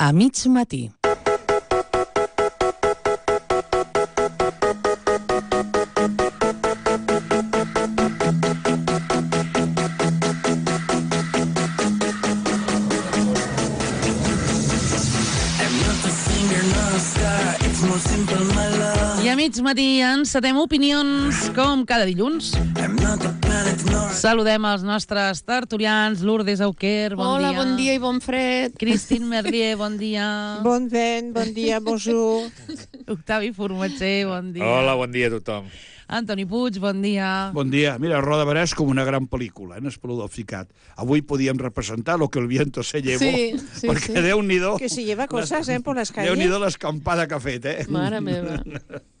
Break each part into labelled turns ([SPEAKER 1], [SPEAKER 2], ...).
[SPEAKER 1] A mig matí. I a mig matí encetem opinions com cada dilluns. Saludem els nostres tertulians. Lourdes Auquer, bon dia.
[SPEAKER 2] Hola, bon dia i bon fred.
[SPEAKER 1] Christine Merlier, bon dia.
[SPEAKER 3] Bon vent, bon dia, bonjour.
[SPEAKER 1] Octavi Formatger, bon dia.
[SPEAKER 4] Hola, bon dia a tothom.
[SPEAKER 1] Antoni Puig, bon dia.
[SPEAKER 5] Bon dia. Mira, Roda Barà és com una gran pel·lícula, en Espoló del Ficat. Avui podíem representar lo que el viento se llevó, perquè Déu-n'hi-do...
[SPEAKER 3] Que se lleva cosas, por las calles.
[SPEAKER 5] Déu-n'hi-do l'escampada que ha fet,
[SPEAKER 2] Mare meva.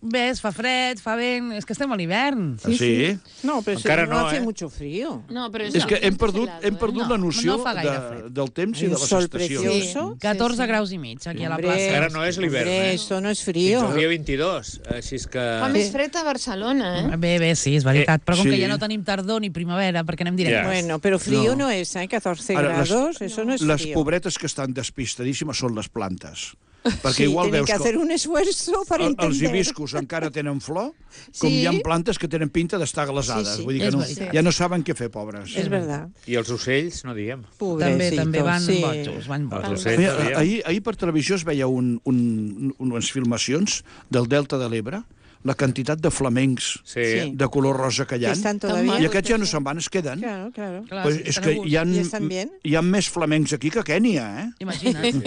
[SPEAKER 1] Bé, fa fred, fa vent... És que estem a l'hivern.
[SPEAKER 5] Sí?
[SPEAKER 3] No, pero
[SPEAKER 4] Encara
[SPEAKER 3] no hace
[SPEAKER 4] no,
[SPEAKER 3] mucho frío.
[SPEAKER 2] No, però
[SPEAKER 5] És que hem perdut
[SPEAKER 1] No,
[SPEAKER 5] la noció
[SPEAKER 1] no fa gaire fred.
[SPEAKER 5] del temps i
[SPEAKER 3] Un
[SPEAKER 5] de les
[SPEAKER 3] sol
[SPEAKER 5] estacions.
[SPEAKER 3] precioso.
[SPEAKER 1] 14 graus i mig, aquí a la plaça.
[SPEAKER 4] Encara no és l'hivern,
[SPEAKER 3] Hombre, esto no es frío.
[SPEAKER 4] Fins al dia 22, així és que...
[SPEAKER 2] Fa més fred a Barcelona,
[SPEAKER 1] Bé, sí, és veritat. Però com
[SPEAKER 5] sí.
[SPEAKER 1] que ja no tenim tardor ni primavera, perquè anem directes.
[SPEAKER 4] Ja.
[SPEAKER 3] Bueno, pero frío
[SPEAKER 5] No.
[SPEAKER 3] no es, ¿eh? 14
[SPEAKER 5] Ara,
[SPEAKER 3] grados, eso no es
[SPEAKER 5] Les
[SPEAKER 3] frío.
[SPEAKER 5] pobretes que estan despistadíssimes són les plantes. Perquè
[SPEAKER 3] Sí,
[SPEAKER 5] igual
[SPEAKER 3] tienen
[SPEAKER 5] veus
[SPEAKER 3] que hacer un esfuerzo para
[SPEAKER 5] els
[SPEAKER 3] entender.
[SPEAKER 5] hibiscus encara tenen flor, com
[SPEAKER 3] Sí.
[SPEAKER 5] hi ha plantes que tenen pinta d'estar glaçades.
[SPEAKER 3] Sí, sí.
[SPEAKER 5] Vull dir que
[SPEAKER 1] És
[SPEAKER 5] no,
[SPEAKER 1] veritat.
[SPEAKER 5] ja no saben què fer, pobres.
[SPEAKER 3] Es verdad.
[SPEAKER 4] I els ocells, no diguem.
[SPEAKER 1] També van
[SPEAKER 3] sí.
[SPEAKER 1] bojos, van
[SPEAKER 4] Els
[SPEAKER 1] bojos.
[SPEAKER 4] ocells,
[SPEAKER 5] Mira,
[SPEAKER 4] no diguem.
[SPEAKER 5] ahir per televisió es veia unes filmacions del Delta de l'Ebre, la quantitat de flamencs
[SPEAKER 4] Sí.
[SPEAKER 5] de color rosa que hi ha.
[SPEAKER 3] Que están todavía.
[SPEAKER 5] I aquests ja no se'n van, es queden.
[SPEAKER 3] Claro, claro.
[SPEAKER 1] Clar,
[SPEAKER 5] Pues
[SPEAKER 1] sí,
[SPEAKER 5] és
[SPEAKER 1] estan
[SPEAKER 5] que
[SPEAKER 1] a gust.
[SPEAKER 3] I estan bien.
[SPEAKER 5] hi ha més flamencs aquí que a Kènia, eh?
[SPEAKER 1] Imagina't.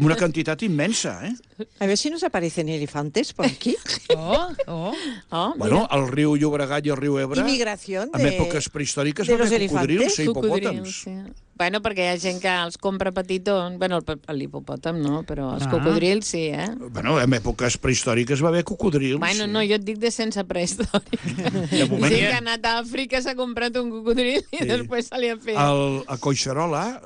[SPEAKER 5] Una quantitat immensa, eh?
[SPEAKER 3] A ver si nos aparecen elefantes por aquí.
[SPEAKER 1] Oh.
[SPEAKER 2] Oh,
[SPEAKER 5] Bueno, el riu Llobregat i el riu Ebre,
[SPEAKER 3] Inmigración
[SPEAKER 5] en èpoques prehistòriques,
[SPEAKER 3] de
[SPEAKER 5] va
[SPEAKER 3] los
[SPEAKER 5] haver cocodrils
[SPEAKER 3] elefantes.
[SPEAKER 5] i hipopòtams.
[SPEAKER 2] sí. Bueno, perquè hi ha gent que els compra petitons. Bueno, l'hipopòtam no, però els cocodrils sí, eh?
[SPEAKER 5] Bueno, en èpoques prehistòriques va haver cocodrils.
[SPEAKER 2] Bueno, no, jo et dic de sense prehistòrica.
[SPEAKER 4] De moment
[SPEAKER 2] Gent
[SPEAKER 4] hi
[SPEAKER 2] que ha
[SPEAKER 4] ha...
[SPEAKER 2] anat a Àfrica, s'ha comprat un cocodril i després se li ha fet.
[SPEAKER 5] A Collserola,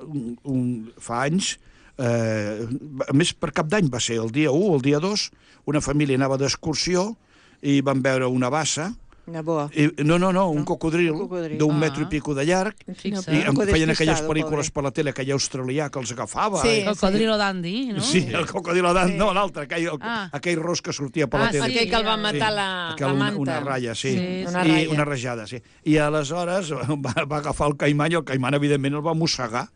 [SPEAKER 5] fa anys, a més per Cap d'Any va ser el dia 1 o el dia 2, una família anava d'excursió i van veure una bassa,
[SPEAKER 3] Una boa.
[SPEAKER 5] un cocodril
[SPEAKER 3] Un cocodril.
[SPEAKER 5] d'un metro i pico de llarg,
[SPEAKER 1] Fixa't.
[SPEAKER 5] i em feien aquelles
[SPEAKER 3] despistado,
[SPEAKER 5] pel·lícules
[SPEAKER 3] pobre.
[SPEAKER 5] per la tele, aquell australià que els agafava.
[SPEAKER 2] Sí.
[SPEAKER 1] Cocodrilo Dandy, no?
[SPEAKER 5] Sí, el cocodrilo d'ant, no, l'altre, aquell ros que sortia per la tele.
[SPEAKER 2] Aquell que el va matar
[SPEAKER 5] Aquell,
[SPEAKER 2] la manta.
[SPEAKER 5] una ratlla, sí.
[SPEAKER 1] Sí,
[SPEAKER 2] una
[SPEAKER 5] I
[SPEAKER 2] ratlla.
[SPEAKER 5] una rajada, sí. I aleshores va agafar el caimán i el caimán, evidentment, el va mossegar.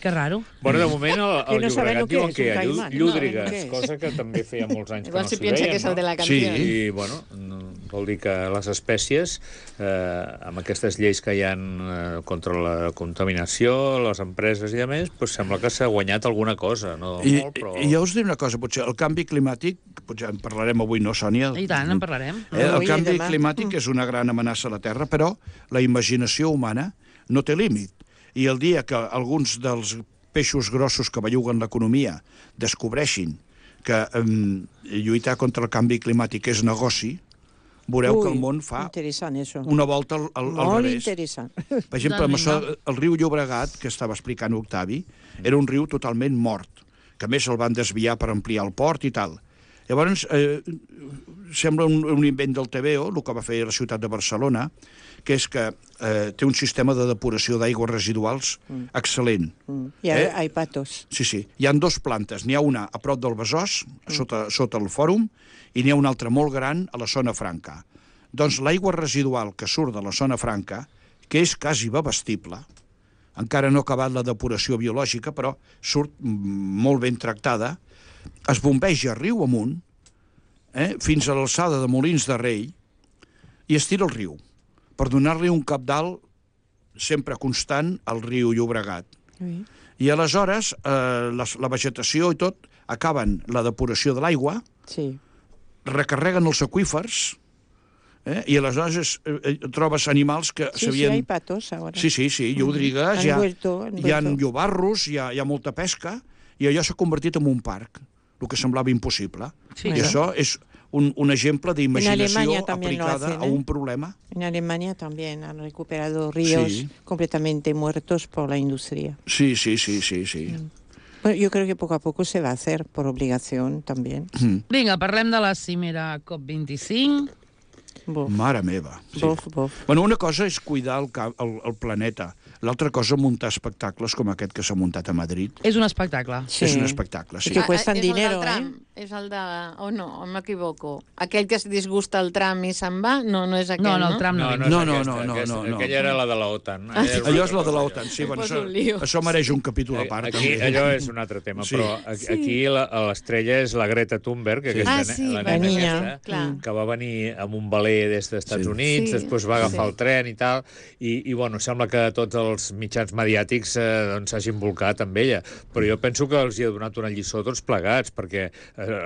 [SPEAKER 1] Que raro.
[SPEAKER 4] Bueno, de moment
[SPEAKER 3] Que
[SPEAKER 4] el
[SPEAKER 3] no sabem
[SPEAKER 4] Llobregat
[SPEAKER 3] el que
[SPEAKER 4] diuen
[SPEAKER 3] és,
[SPEAKER 4] que hi
[SPEAKER 3] un
[SPEAKER 4] ha
[SPEAKER 3] caimán.
[SPEAKER 4] llúdrigues,
[SPEAKER 3] No, què és?
[SPEAKER 4] cosa que també feia molts anys
[SPEAKER 2] Igual
[SPEAKER 4] que
[SPEAKER 2] si
[SPEAKER 4] no s'hi
[SPEAKER 2] piensa
[SPEAKER 4] veien,
[SPEAKER 2] que és el de la
[SPEAKER 5] Sí.
[SPEAKER 2] canció.
[SPEAKER 4] I, bueno, vol dir que les espècies, amb aquestes lleis que hi ha contra la contaminació, les empreses i a més, doncs sembla que s'ha guanyat alguna cosa, no molt, però...
[SPEAKER 5] I jo us diré una cosa, potser el canvi climàtic, potser en parlarem avui, no, Sònia?
[SPEAKER 1] I tant, en parlarem.
[SPEAKER 5] El
[SPEAKER 3] Avui i
[SPEAKER 5] canvi
[SPEAKER 3] demà.
[SPEAKER 5] climàtic és una gran amenaça a la Terra, però la imaginació humana no té límit. I el dia que alguns dels peixos grossos que belluguen l'economia descobreixin que lluitar contra el canvi climàtic és negoci, veureu que el món fa
[SPEAKER 3] Interessant, eso.
[SPEAKER 5] una volta al
[SPEAKER 3] Molt
[SPEAKER 5] revés.
[SPEAKER 3] interessant.
[SPEAKER 5] Per exemple, amb això, el riu Llobregat, que estava explicant Octavi, era un riu totalment mort, que a més el van desviar per ampliar el port i tal. Llavors, sembla un invent del TVO, el que va fer la ciutat de Barcelona, que és que té un sistema de depuració d'aigües residuals excel·lent.
[SPEAKER 3] Y hay patos.
[SPEAKER 5] Sí, sí. Hi ha dues plantes. N'hi ha una a prop del Besòs, sota el fòrum, i n'hi ha una altra molt gran a la zona franca. Doncs l'aigua residual que surt de la zona franca, que és quasi bevestible, encara no ha acabat la depuració biològica, però surt molt ben tractada, es bombeja riu amunt, fins a l'alçada de Molins de Rei, i es tira al riu, per donar-li un cabdal sempre constant al riu Llobregat.
[SPEAKER 3] Sí.
[SPEAKER 5] I aleshores la vegetació i tot acaben la depuració de l'aigua,
[SPEAKER 3] Sí.
[SPEAKER 5] recarreguen els aqüífers, i aleshores trobes animals que
[SPEAKER 3] Sí,
[SPEAKER 5] s'havien...
[SPEAKER 3] hay patos ahora.
[SPEAKER 5] Sí, llúdrigues,
[SPEAKER 3] Han vuelto.
[SPEAKER 5] hi ha llobarros, hi ha molta pesca, i allò s'ha convertit en un parc, el que semblava impossible.
[SPEAKER 1] Sí,
[SPEAKER 5] I això és un exemple d'imaginació
[SPEAKER 3] Alemania también lo
[SPEAKER 5] aplicada
[SPEAKER 3] hacen,
[SPEAKER 5] a un problema.
[SPEAKER 3] En Alemania también han recuperado ríos
[SPEAKER 5] Sí.
[SPEAKER 3] completamente muertos por la industria.
[SPEAKER 5] Sí.
[SPEAKER 3] Bueno, yo creo que poco a poco se va a hacer por obligación también.
[SPEAKER 1] Vinga, parlem de la cimera COP25.
[SPEAKER 3] Bof,
[SPEAKER 5] Mare meva. Sí.
[SPEAKER 3] bof, bof.
[SPEAKER 5] Bueno, una cosa és cuidar el planeta, L'altra cosa, muntar espectacles com aquest que s'ha muntat a Madrid.
[SPEAKER 1] És un espectacle.
[SPEAKER 3] Sí.
[SPEAKER 5] És un espectacle, sí.
[SPEAKER 3] I que cuestan dinero,
[SPEAKER 2] és el del tram, és el de... O no, m'equivoco. Aquell que es disgusta el tram i se'n va? No, no és aquell, no?
[SPEAKER 1] No, el tram no.
[SPEAKER 5] No.
[SPEAKER 4] Aquella era la de l'OTAN.
[SPEAKER 5] Allò és la de l'OTAN, sí. Bueno,
[SPEAKER 2] Poso un lío.
[SPEAKER 5] això mereix un capítol a part.
[SPEAKER 4] Aquí,
[SPEAKER 5] també.
[SPEAKER 4] allò és un altre tema, però aquí l'estrella és la Greta Thunberg, que la nena
[SPEAKER 3] niña.
[SPEAKER 4] aquesta, que va venir amb un veler des dels Estats Units, després va agafar el tren i tal, i bueno, sembla que tots els mitjans mediàtics s'hagin volcat amb ella, però jo penso que els hi ha donat una lliçó tots plegats, perquè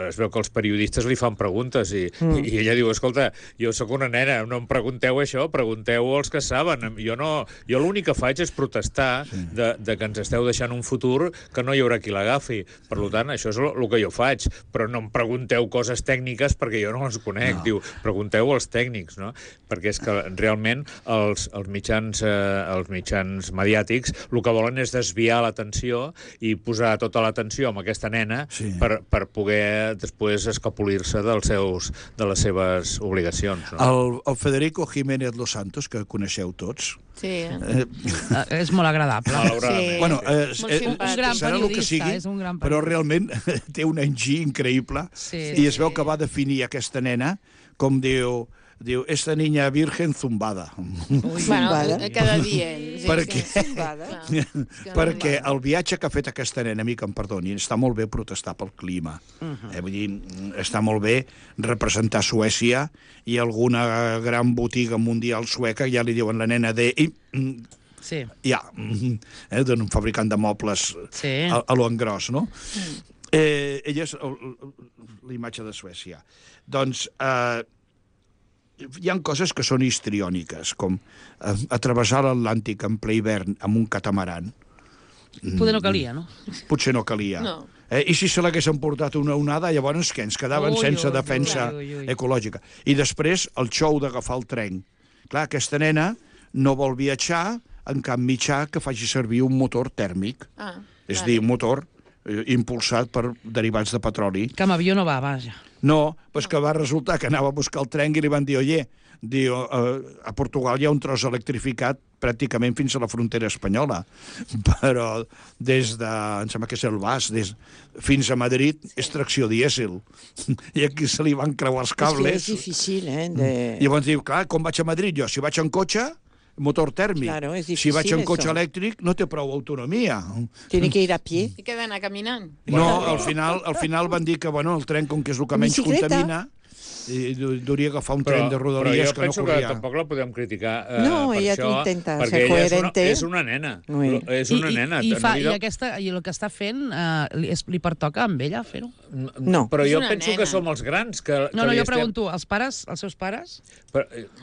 [SPEAKER 4] es veu que els periodistes li fan preguntes i ella diu, escolta, jo sóc una nena, no em pregunteu això, pregunteu als que saben. Jo l'únic que faig és protestar de que ens esteu deixant un futur que no hi haurà qui l'agafi. Per tant, això és el que jo faig, però no em pregunteu coses tècniques perquè jo no les conec. Diu, pregunteu als tècnics, no? Perquè és que realment els mitjans mediàtics el que volen és desviar l'atenció i posar tota l'atenció amb aquesta nena per poder després escapolir-se de les seves obligacions. No?
[SPEAKER 5] El Federico Jiménez Los Santos, que coneixeu tots.
[SPEAKER 2] Sí.
[SPEAKER 1] És molt agradable.
[SPEAKER 2] Sí.
[SPEAKER 5] Bueno,
[SPEAKER 1] un gran
[SPEAKER 5] serà el que sigui,
[SPEAKER 1] és un gran
[SPEAKER 5] però realment té un enginy increïble i es veu que va definir aquesta nena com diu, esta niña virgen zumbada.
[SPEAKER 2] Bueno, cada dia.
[SPEAKER 5] Perquè el viatge que ha fet aquesta nena, a mi que em perdoni, està molt bé protestar pel clima. Vull dir, està molt bé representar Suècia i alguna gran botiga mundial sueca ja li diuen la nena de... d'un fabricant de mobles a lo engròs, no? Ella és la imatge de Suècia. Doncs hi ha coses que són histriòniques, com atravessar l'Atlàntic en ple hivern amb un catamaran.
[SPEAKER 1] Potser no calia, no?
[SPEAKER 5] Potser no calia. I si se l'haguessin portat una onada, llavors què? Ens quedaven sense defensa ecològica. I després el xou d'agafar el tren. Clar, aquesta nena no vol viatjar en cap mitjà que faci servir un motor tèrmic. És a dir, un motor impulsat per derivats de petroli.
[SPEAKER 1] Que amb avió no va, vaja.
[SPEAKER 5] No, però que va resultar que anava a buscar el tren i li van dir, a Portugal hi ha un tros electrificat pràcticament fins a la frontera espanyola, però des de, em sembla que és el Bas, fins a Madrid és tracció dièsel. I aquí se li van creuar els cables.
[SPEAKER 3] És difícil,
[SPEAKER 5] I llavors diu, clar, com vaig a Madrid jo? Si vaig en cotxe, motor tèrmic.
[SPEAKER 3] Claro, es difícil.
[SPEAKER 5] Si vaig en cotxe elèctric, no té prou autonomia.
[SPEAKER 3] Tiene que ir a pie.
[SPEAKER 2] I què d'anar caminant?
[SPEAKER 5] No, al final van dir que el tren, com que és el que menys contamina, hauria d'agafar un tren de rodalies que no corria.
[SPEAKER 4] Però jo penso que tampoc la podem criticar
[SPEAKER 3] no,
[SPEAKER 4] per
[SPEAKER 3] ella
[SPEAKER 4] això,
[SPEAKER 3] intenta
[SPEAKER 4] perquè
[SPEAKER 3] ser coherente.
[SPEAKER 4] És una nena. És una nena.
[SPEAKER 1] I el que està fent li pertoca amb ella fer-ho?
[SPEAKER 3] No.
[SPEAKER 4] Però jo penso que som els grans.
[SPEAKER 1] No, jo pregunto, els seus pares?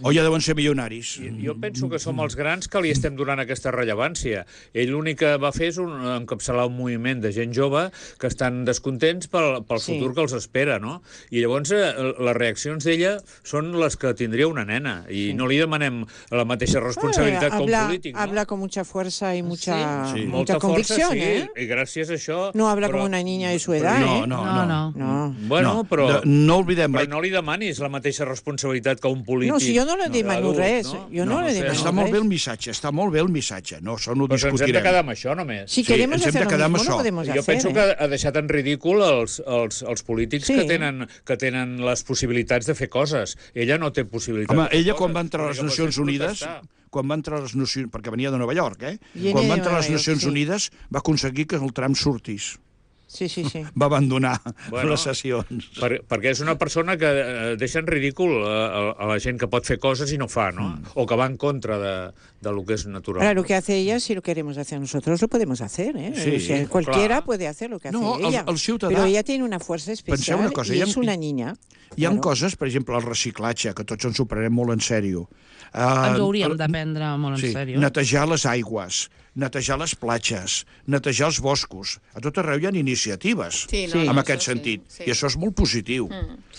[SPEAKER 5] O ja deuen ser milionaris.
[SPEAKER 4] Jo penso que som els grans que li estem donant aquesta rellevància. Ell l'únic que va fer és encapçalar un moviment de gent jove que estan descontents pel futur que els espera, no? I llavors les reaccions d'ella són les que tindria una nena i no li demanem la mateixa responsabilitat com polític, no?
[SPEAKER 3] Habla con mucha fuerza y mucha
[SPEAKER 4] Força,
[SPEAKER 3] convicción,
[SPEAKER 4] i gràcies a això...
[SPEAKER 3] No habla com una niña de su edad,
[SPEAKER 1] No.
[SPEAKER 4] Bueno, però
[SPEAKER 5] no oblidem...
[SPEAKER 4] Però no li demanis la mateixa responsabilitat que un polític.
[SPEAKER 3] No, si jo no li demano res. Jo no li demano res.
[SPEAKER 5] Està molt bé el missatge, no, això no ho discutirem.
[SPEAKER 4] Però ens hem de quedar amb això, només.
[SPEAKER 3] Si queremos hacer lo mismo, no podemos hacer.
[SPEAKER 4] Jo penso que ha deixat en ridícul els polítics que tenen les possibilitats de fer coses. Ella no té possibilitats.
[SPEAKER 5] Home, ella quan va entrar a les Nacions Unides... perquè venia de Nova York, quan va entrar a les Nacions Unides va aconseguir que el tram sortís.
[SPEAKER 3] Sí.
[SPEAKER 5] Va abandonar les sessions.
[SPEAKER 4] Perquè és una persona que deixa en ridícul a la gent que pot fer coses i no fa, no? O que va en contra de lo que es natural.
[SPEAKER 3] Ahora, lo que hace ella, si lo queremos hacer nosotros, lo podemos hacer, ¿eh?
[SPEAKER 5] Sí,
[SPEAKER 3] o sea, cualquiera puede hacer lo que hace ella.
[SPEAKER 5] El ciutadà...
[SPEAKER 3] Pero ella tiene una fuerza especial y es una niña.
[SPEAKER 5] Hi ha coses, per exemple, el reciclatge, que tots ens ho prenem molt en sèrio.
[SPEAKER 1] Ens ho hauríem de prendre molt en sèrio.
[SPEAKER 5] Netejar les aigües, netejar les platges, netejar els boscos. A tot arreu hi ha iniciatives en aquest sentit. I això és molt positiu.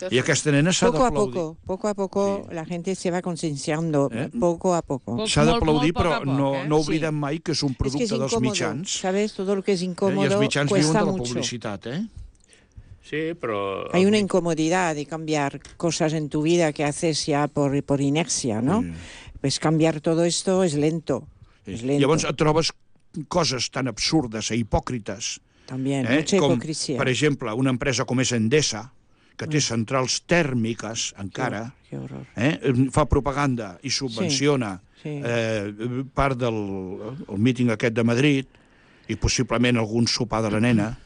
[SPEAKER 5] I aquesta nena s'ha d'aplaudir.
[SPEAKER 3] Poco a poco la gente se va concienciando, poco a poco.
[SPEAKER 5] S'ha d'aplaudir, però no oblidem mai que és un producte dels mitjans.
[SPEAKER 3] ¿Sabes? Todo lo que es incómodo
[SPEAKER 5] cuesta mucho. I els mitjans viuen de la publicitat,
[SPEAKER 4] Sí, pero...
[SPEAKER 3] Hay una incomodidad de cambiar cosas en tu vida que haces ya por inercia, ¿no? Pues cambiar todo esto es lento. es lento.
[SPEAKER 5] Llavors et trobes coses tan absurdes e hipòcrites,
[SPEAKER 3] También, mucha
[SPEAKER 5] com,
[SPEAKER 3] hipocresía.
[SPEAKER 5] per exemple, una empresa com és Endesa, que té centrals tèrmiques encara,
[SPEAKER 3] Qué horror.
[SPEAKER 5] fa propaganda i subvenciona
[SPEAKER 3] Sí.
[SPEAKER 5] part del míting aquest de Madrid i possiblement algun sopar de la nena,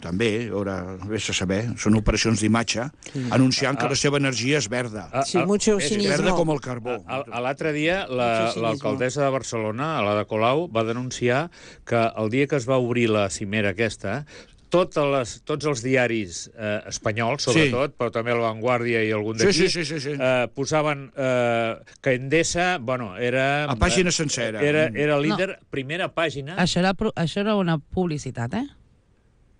[SPEAKER 5] també, ara vés a saber, són operacions d'imatge, anunciant que la seva energia és verda.
[SPEAKER 3] Sí, mucho
[SPEAKER 5] És
[SPEAKER 3] cinismo.
[SPEAKER 5] verda com el carbó.
[SPEAKER 4] L'altre dia,
[SPEAKER 3] Mucho cinismo.
[SPEAKER 4] l'alcaldessa de Barcelona, la de Colau, va denunciar que el dia que es va obrir la cimera aquesta, tots els diaris espanyols, sobretot, però també La Vanguardia i algun d'aquí,
[SPEAKER 5] Sí.
[SPEAKER 4] posaven que Endesa, bueno, era...
[SPEAKER 5] A pàgina sencera.
[SPEAKER 4] Era líder, primera pàgina.
[SPEAKER 1] Això era una publicitat, eh?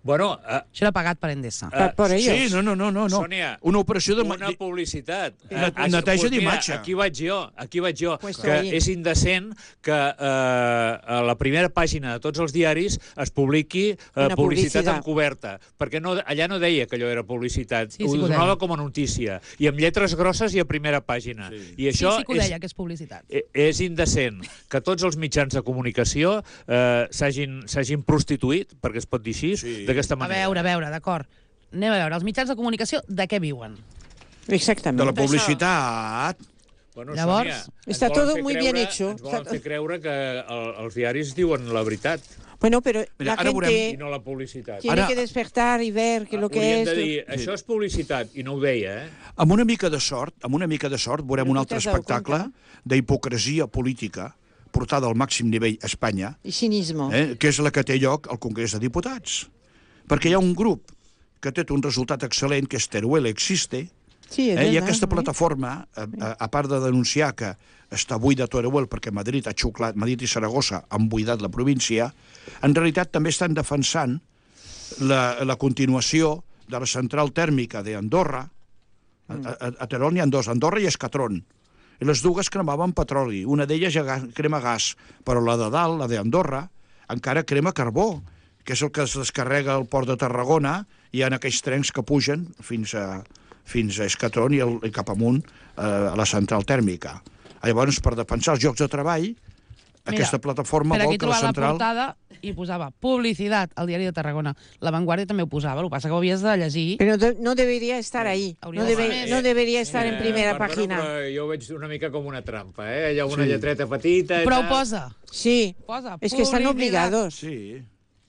[SPEAKER 4] Bueno,
[SPEAKER 1] Això era pagat per Endesa.
[SPEAKER 3] Por ellos.
[SPEAKER 5] Sí, no.
[SPEAKER 4] Sònia,
[SPEAKER 5] Una operació de...
[SPEAKER 4] una publicitat.
[SPEAKER 5] Neteja d'imatge.
[SPEAKER 4] Aquí vaig jo.
[SPEAKER 3] Pues
[SPEAKER 4] Que
[SPEAKER 3] ahí.
[SPEAKER 4] és indecent que a la primera pàgina de tots els diaris es publiqui
[SPEAKER 3] Una
[SPEAKER 4] publicitat
[SPEAKER 3] publicitat.
[SPEAKER 4] encoberta, perquè allà no deia que allò era publicitat,
[SPEAKER 1] Sí,
[SPEAKER 4] ho
[SPEAKER 1] que ho
[SPEAKER 4] donava
[SPEAKER 1] deia.
[SPEAKER 4] com a notícia, i amb lletres grosses i a primera pàgina. I això
[SPEAKER 1] Sí que ho deia, que és publicitat.
[SPEAKER 4] és indecent que tots els mitjans de comunicació s'hagin prostituït, perquè es pot dir així, d'aquesta
[SPEAKER 1] A
[SPEAKER 4] manera.
[SPEAKER 1] veure, d'acord. Anem a veure, els mitjans de comunicació de què viuen?
[SPEAKER 3] Exactamente.
[SPEAKER 5] De la publicitat.
[SPEAKER 4] Bueno,
[SPEAKER 1] Llavors,
[SPEAKER 4] Sònia,
[SPEAKER 3] está
[SPEAKER 4] ens volen
[SPEAKER 3] todo
[SPEAKER 4] fer
[SPEAKER 3] muy
[SPEAKER 4] creure-
[SPEAKER 3] bien hecho.
[SPEAKER 4] Ens volen fer creure que els diaris diuen la veritat
[SPEAKER 3] Bueno, pero
[SPEAKER 5] Mira,
[SPEAKER 3] la
[SPEAKER 5] ahora
[SPEAKER 3] gente
[SPEAKER 4] i no la publicitat.
[SPEAKER 3] tiene
[SPEAKER 5] Ara-
[SPEAKER 3] que despertar y ver que lo que
[SPEAKER 4] Hauríem
[SPEAKER 3] es...
[SPEAKER 4] de dir, això és publicitat, i no ho deia,
[SPEAKER 5] Amb una mica de sort, veurem
[SPEAKER 3] Però
[SPEAKER 5] un
[SPEAKER 3] tu
[SPEAKER 5] altre
[SPEAKER 3] t'has dado
[SPEAKER 5] espectacle
[SPEAKER 3] cuenta?
[SPEAKER 5] d'hipocresia política portada al màxim nivell a Espanya,
[SPEAKER 3] Y cinismo.
[SPEAKER 5] que és la que té lloc al Congrés de Diputats. Perquè hi ha un grup que té un resultat excel·lent, que és Teruel Existe,
[SPEAKER 3] Sí, es
[SPEAKER 5] i
[SPEAKER 3] verdad,
[SPEAKER 5] aquesta
[SPEAKER 3] ¿no?
[SPEAKER 5] plataforma, a part de denunciar que està buida Teruel perquè Madrid i Saragossa han buidat la província, en realitat també estan defensant la continuació de la central tèrmica d'Andorra. A Terol n'hi ha dos, Andorra i Escatron. I les dues cremaven petroli. Una d'elles ja crema gas, però la de dalt, la d'Andorra, encara crema carbó, que és el que es descarrega al port de Tarragona, i hi ha aquells trens que pugen fins a Escatron i cap amunt a la central tèrmica. Llavors, per defensar els llocs de treball, aquesta plataforma
[SPEAKER 1] Per
[SPEAKER 5] vol
[SPEAKER 1] aquí
[SPEAKER 5] que la
[SPEAKER 1] trobar la
[SPEAKER 5] central...
[SPEAKER 1] portada i posava publicitat al diari de Tarragona. La Vanguardia també ho posava, el que passa que ho havies de llegir.
[SPEAKER 3] Pero no debería estar ahí.
[SPEAKER 1] Hauria de ser més.
[SPEAKER 3] No debería estar en primera página.
[SPEAKER 4] Però jo ho veig una mica com una trampa, Hi ha una lletreta petita...
[SPEAKER 1] Però ho posa.
[SPEAKER 3] Sí,
[SPEAKER 1] Posa
[SPEAKER 3] es que están
[SPEAKER 1] publicidad.
[SPEAKER 3] obligados.
[SPEAKER 5] Sí.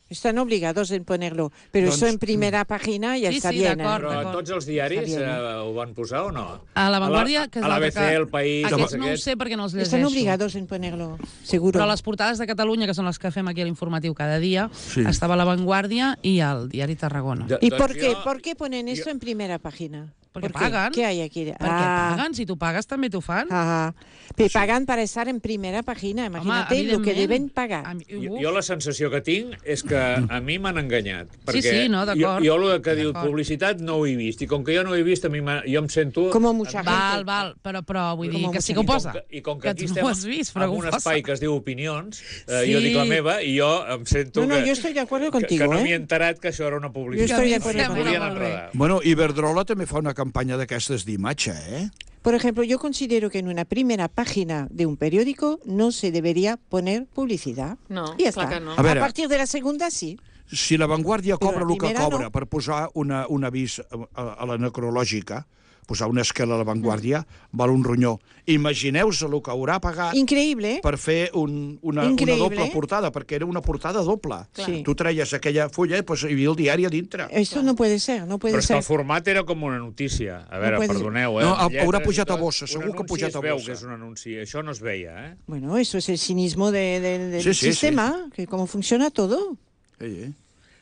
[SPEAKER 3] Están obligados en ponerlo. Pero eso en primera página ya
[SPEAKER 1] Sí,
[SPEAKER 3] está
[SPEAKER 1] sí,
[SPEAKER 3] bien.
[SPEAKER 1] d'acord.
[SPEAKER 4] Però tots els diaris
[SPEAKER 3] Està bien,
[SPEAKER 4] ho van posar o no?
[SPEAKER 1] A La Vanguardia, que és
[SPEAKER 4] a
[SPEAKER 1] l'altre
[SPEAKER 4] l'ABC, El País...
[SPEAKER 1] Aquests
[SPEAKER 4] tots
[SPEAKER 1] no ho
[SPEAKER 4] aquests.
[SPEAKER 1] sé perquè no els llegeixo.
[SPEAKER 3] Están obligados en ponerlo, seguro.
[SPEAKER 1] Però les portades de Catalunya, que són les que fem aquí a l'informatiu cada dia,
[SPEAKER 5] Sí.
[SPEAKER 1] estava La Vanguardia i el diari Tarragona.
[SPEAKER 3] ¿Y
[SPEAKER 4] Doncs
[SPEAKER 3] por qué?
[SPEAKER 4] jo-
[SPEAKER 3] ¿Por qué ponen eso en primera página?
[SPEAKER 1] Porque
[SPEAKER 3] ¿Por qué?
[SPEAKER 1] pagan.
[SPEAKER 3] ¿Qué hay aquí?
[SPEAKER 1] Perquè paguen, si tu pagues també t'ho fan.
[SPEAKER 3] Ajá. Pero pagan para estar en primera página. Imagínate lo que
[SPEAKER 1] evidentment.
[SPEAKER 3] deben pagar.
[SPEAKER 4] Jo la sensació que tinc és que a mi m'han enganyat.
[SPEAKER 1] Sí,
[SPEAKER 4] Perquè
[SPEAKER 1] sí, no, d'acord.
[SPEAKER 4] Jo el que diu
[SPEAKER 1] D'acord.
[SPEAKER 4] publicitat no ho he vist. I com que jo no ho he vist, jo em sento...
[SPEAKER 3] Como mucha gente.
[SPEAKER 1] Val, però vull dir
[SPEAKER 3] Com
[SPEAKER 1] que
[SPEAKER 3] a
[SPEAKER 1] sí que ho posa.
[SPEAKER 4] I com que
[SPEAKER 1] Que
[SPEAKER 4] aquí
[SPEAKER 1] tu
[SPEAKER 4] estem
[SPEAKER 1] no ho has vist, però
[SPEAKER 4] en
[SPEAKER 1] ho
[SPEAKER 4] un
[SPEAKER 1] posa.
[SPEAKER 4] espai que es diu opinions,
[SPEAKER 1] Sí.
[SPEAKER 4] jo dic la meva i jo em sento
[SPEAKER 3] No,
[SPEAKER 4] que...
[SPEAKER 3] yo estoy de acuerdo
[SPEAKER 4] que
[SPEAKER 3] contigo,
[SPEAKER 4] no m'hi he
[SPEAKER 3] ¿eh?
[SPEAKER 4] enterat que això era una publicitat.
[SPEAKER 3] Jo estoy de
[SPEAKER 4] Em
[SPEAKER 3] acuerdo
[SPEAKER 4] volien
[SPEAKER 1] contigo.
[SPEAKER 4] enredar.
[SPEAKER 5] Bueno, Iberdrola també fa una campanya d'aquestes d'imatge,
[SPEAKER 3] Por ejemplo, yo considero que en una primera página de un periódico no se debería poner publicidad.
[SPEAKER 2] No,
[SPEAKER 3] Y ya
[SPEAKER 2] clar
[SPEAKER 3] está.
[SPEAKER 2] que no.
[SPEAKER 5] A ver,
[SPEAKER 3] partir de la segunda, sí.
[SPEAKER 5] Si la Vanguardia
[SPEAKER 3] Però
[SPEAKER 5] cobra
[SPEAKER 3] la
[SPEAKER 5] el que
[SPEAKER 3] primera
[SPEAKER 5] cobra
[SPEAKER 3] no.
[SPEAKER 5] per posar un avís a la necrològica, posar una esquela a la Vanguardia, val un ronyó. Imagineu-vos el que haurà pagat
[SPEAKER 3] Increíble, ¿eh?
[SPEAKER 5] per fer una
[SPEAKER 3] Increïble.
[SPEAKER 5] doble portada, perquè era una portada doble.
[SPEAKER 3] Sí.
[SPEAKER 5] Tu treies aquella fulla i pues, hi havia el diari a dintre.
[SPEAKER 3] Esto no puede ser, no puede
[SPEAKER 4] Però és que
[SPEAKER 3] ser.
[SPEAKER 4] el format era com una notícia. A veure,
[SPEAKER 3] puede-
[SPEAKER 4] perdoneu,
[SPEAKER 5] No,
[SPEAKER 4] amb
[SPEAKER 5] haurà
[SPEAKER 4] lletres i
[SPEAKER 5] pujat a
[SPEAKER 4] tot.
[SPEAKER 5] bossa, segur que ha pujat a
[SPEAKER 4] Un anunci es veu
[SPEAKER 5] bossa.
[SPEAKER 4] que és un anunci. Això no es veia,
[SPEAKER 3] Bueno, eso es el cinismo del
[SPEAKER 5] Sí, sí,
[SPEAKER 3] sistema, que cómo funciona todo.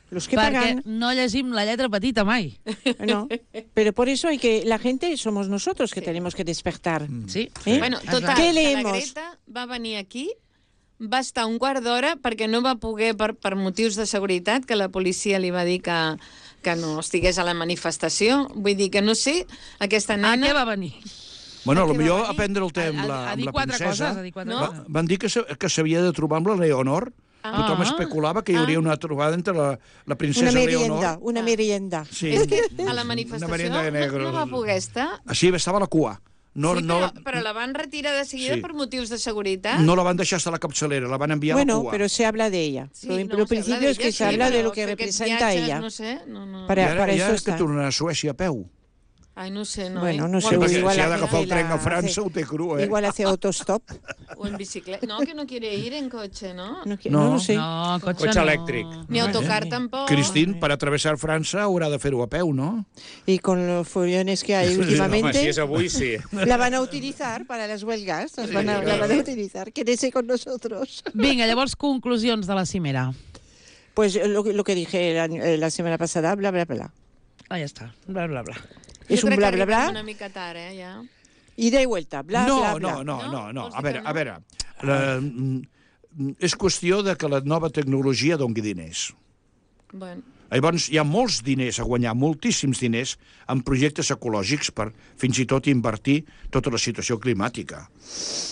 [SPEAKER 3] Los que
[SPEAKER 1] Perquè
[SPEAKER 3] pagan,
[SPEAKER 1] no llegim la lletra petita mai.
[SPEAKER 3] no. Pero por eso hay que, la gente somos nosotros que tenemos que despertar.
[SPEAKER 1] Sí.
[SPEAKER 3] ¿Eh?
[SPEAKER 2] Bueno,
[SPEAKER 1] Exacte.
[SPEAKER 2] total,
[SPEAKER 3] Què
[SPEAKER 2] que la
[SPEAKER 3] leemos?
[SPEAKER 2] Greta va venir aquí, va estar un quart d'hora perquè no va poder, per motius de seguretat, que la policia li va dir que no estigués a la manifestació. Vull dir que no sé, aquesta
[SPEAKER 1] A
[SPEAKER 2] nena...
[SPEAKER 1] què va venir?
[SPEAKER 5] Bueno,
[SPEAKER 2] A què va
[SPEAKER 5] potser
[SPEAKER 2] venir?
[SPEAKER 5] a prendre el té amb
[SPEAKER 1] A
[SPEAKER 5] la
[SPEAKER 1] dir quatre
[SPEAKER 5] princesa.
[SPEAKER 1] coses, a dir quatre
[SPEAKER 2] No?
[SPEAKER 1] coses.
[SPEAKER 5] Van dir que s'havia de trobar amb la Leonor. Tothom especulava que hi hauria una trobada entre la princesa
[SPEAKER 3] Una
[SPEAKER 5] Leonor.
[SPEAKER 3] merienda, una merienda.
[SPEAKER 5] Sí,
[SPEAKER 2] És que a la
[SPEAKER 5] una
[SPEAKER 2] manifestació
[SPEAKER 5] merienda de negros.
[SPEAKER 2] no va poder estar.
[SPEAKER 5] Sí, estava a la cua.
[SPEAKER 2] Però la van retirar de seguida per motius de seguretat.
[SPEAKER 5] No la van deixar hasta la capçalera, la van enviar a la cua.
[SPEAKER 3] Pero se habla de ella. Lo principio es que se habla de lo que representa ella.
[SPEAKER 2] No sé,
[SPEAKER 3] Para eso
[SPEAKER 5] està. I ara que tornen a Suècia a peu.
[SPEAKER 2] Ai, no sé, no.
[SPEAKER 3] Bueno, no sé,
[SPEAKER 5] Perquè
[SPEAKER 3] igual
[SPEAKER 5] si ha d'agafar el tren a França, ho té cru,
[SPEAKER 3] Igual hace autostop.
[SPEAKER 2] O en bicicleta. No, que no quiere ir en coche, ¿no?
[SPEAKER 3] No sé.
[SPEAKER 1] No,
[SPEAKER 4] cotxe elèctric.
[SPEAKER 2] Ni autocar tampoc.
[SPEAKER 5] Cristín, per atravessar França haurà de fer-ho a peu, ¿no?
[SPEAKER 3] Y con los follones que hay últimamente...
[SPEAKER 4] Home, si és avui, sí.
[SPEAKER 3] La van a utilizar para las huelgas. La van a utilizar. Quédese con nosotros.
[SPEAKER 1] Vinga, llavors, conclusions de la cimera.
[SPEAKER 3] Pues lo que dije la semana pasada, bla, bla, bla.
[SPEAKER 1] Ah, ja està. Bla, bla, bla.
[SPEAKER 3] És un bla, bla, bla.
[SPEAKER 2] Una mica tard, ja.
[SPEAKER 3] Ida i vuelta, bla, bla, bla.
[SPEAKER 5] No. A veure. És qüestió de que la nova tecnologia doni diners.
[SPEAKER 2] Bueno.
[SPEAKER 5] Llavors, hi ha molts diners a guanyar, moltíssims diners, en projectes ecològics per fins i tot invertir tota la situació climàtica.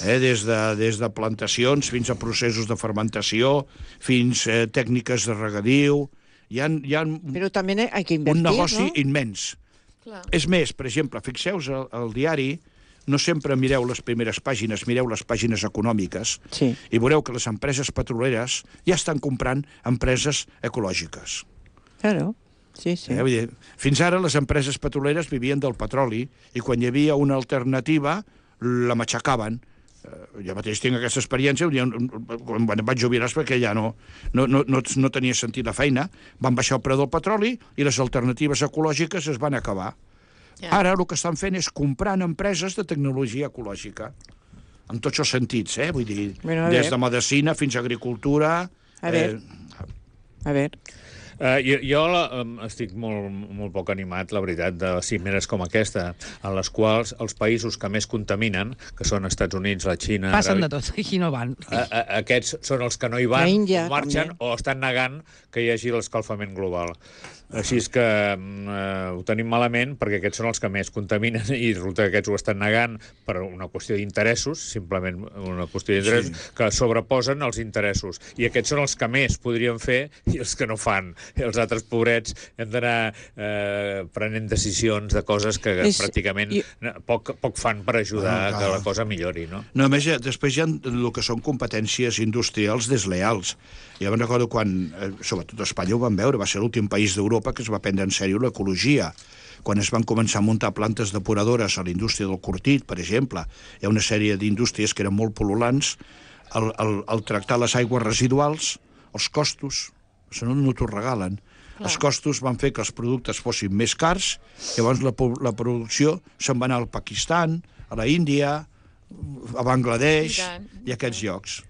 [SPEAKER 5] Des de plantacions fins a processos de fermentació, fins a tècniques de regadiu. Hi ha
[SPEAKER 3] Però també hay que invertir,
[SPEAKER 5] un negoci
[SPEAKER 3] ¿no?
[SPEAKER 5] immens.
[SPEAKER 2] Clar.
[SPEAKER 5] És més, per exemple, fixeu-vos al diari, no sempre mireu les primeres pàgines, mireu les pàgines econòmiques, i veureu que les empreses petroleres ja estan comprant empreses ecològiques.
[SPEAKER 3] Claro, sí.
[SPEAKER 5] Vull dir, fins ara les empreses petroleres vivien del petroli i quan hi havia una alternativa la matxacaven. Jo mateix tinc aquesta experiència, quan vaig jubilar perquè ja no tenia sentit la feina, van baixar el preu del petroli i les alternatives ecològiques es van acabar. Ara el que estan fent és comprant empreses de tecnologia ecològica, en tots els sentits, vull dir, des de medicina fins a agricultura...
[SPEAKER 3] A veure...
[SPEAKER 4] Jo estic molt poc animat, la veritat, de cimeres com aquesta, en les quals els països que més contaminen, que són Estats Units, la Xina...
[SPEAKER 1] Passen de tot, aquí no van.
[SPEAKER 4] Aquests són els que no hi van,
[SPEAKER 3] Índia,
[SPEAKER 4] o marxen, també. O estan negant que hi hagi l'escalfament global. Així és que ho tenim malament, perquè aquests són els que més contaminen i resulta que aquests ho estan negant per una qüestió d'interessos, simplement una qüestió d'interessos, que sobreposen els interessos. I aquests són els que més podrien fer i els que no fan. I els altres pobrets hem d'anar prenent decisions de coses que pràcticament poc fan per ajudar que la cosa millori, no?
[SPEAKER 5] No, a més, després hi ha el que són competències industrials desleals. Jo me'n recordo quan, sobretot a Espanya ho vam veure, va ser l'últim país d'Europa que es va prendre en sèrio l'ecologia. Quan es van començar a muntar plantes depuradores a la indústria del Cortit, per exemple, hi ha una sèrie d'indústries que eren molt pol·lulants, al tractar les aigües residuals, els costos, això no t'ho regalen, els costos van fer que els productes fossin més cars, llavors la producció se'n va anar al Pakistan, a la Índia, a Bangladesh i a aquests llocs.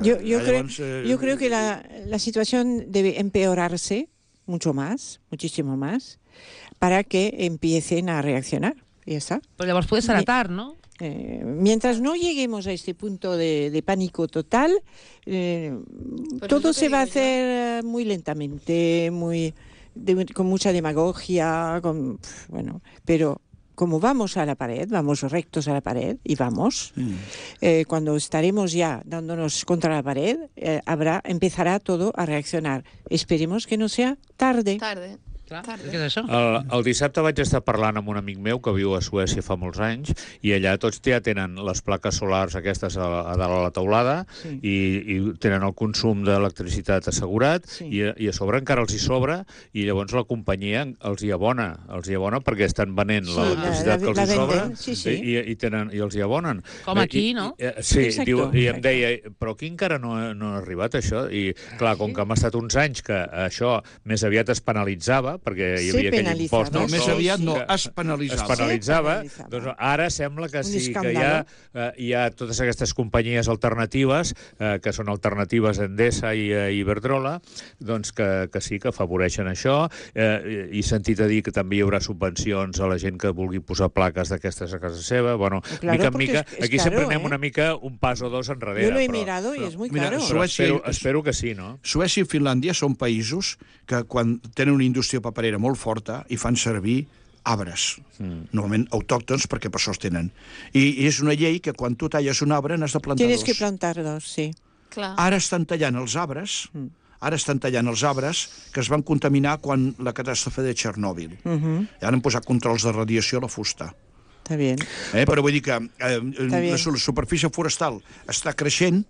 [SPEAKER 3] Yo creo que la situación debe empeorarse mucho más, muchísimo más, para que empiecen a reaccionar. Y ya está.
[SPEAKER 1] Pero llavors puede ser tard, ¿no?
[SPEAKER 3] Mientras no lleguemos a este punto de pánico total, todo se va a hacer muy lentamente, con mucha demagogia, pero como vamos a la pared, vamos rectos a la pared y vamos, cuando estaremos ya dándonos contra la pared, empezará todo a reaccionar. Esperemos que no sea tarde.
[SPEAKER 1] Clar, què és això?
[SPEAKER 4] El dissabte vaig estar parlant amb un amic meu que viu a Suècia fa molts anys i allà tots ja tenen les plaques solars aquestes a dalt a la teulada i tenen el consum d'electricitat assegurat i a sobre encara els hi sobra i llavors la companyia els hi abona perquè estan venent l'electricitat que els hi sobra i els hi abonen.
[SPEAKER 1] Com aquí, no?
[SPEAKER 4] Sí, i em deia, però aquí encara no ha arribat això i clar, com que hem estat uns anys que això més aviat es penalitzava perquè hi havia aquell impost...
[SPEAKER 5] No, més aviat no, es penalitzava.
[SPEAKER 4] Es penalitzava. Doncs ara sembla que sí, que hi ha totes aquestes companyies alternatives, que són alternatives a Endesa i a Iberdrola, doncs que sí que afavoreixen això. I sentit a dir que també hi haurà subvencions a la gent que vulgui posar plaques d'aquestes a casa seva. Bueno, mica en mica, aquí sempre anem una mica un pas o dos enrere.
[SPEAKER 3] Jo lo he mirado i és muy caro.
[SPEAKER 4] Espero que sí, no?
[SPEAKER 5] Suècia i Finlàndia són països que quan tenen una indústria paperera molt forta i fan servir arbres, normalment autòctons, perquè per això els tenen. I és una llei que quan tu talles un arbre n'has de plantar dos.
[SPEAKER 3] Tienes que plantar dos, sí.
[SPEAKER 5] Ara estan tallant els arbres, que es van contaminar quan la catàstrofe de Txernòbil. I ara han posat controls de radiació a la fusta.
[SPEAKER 3] Està bé.
[SPEAKER 5] Però vull dir que la superfície forestal està creixent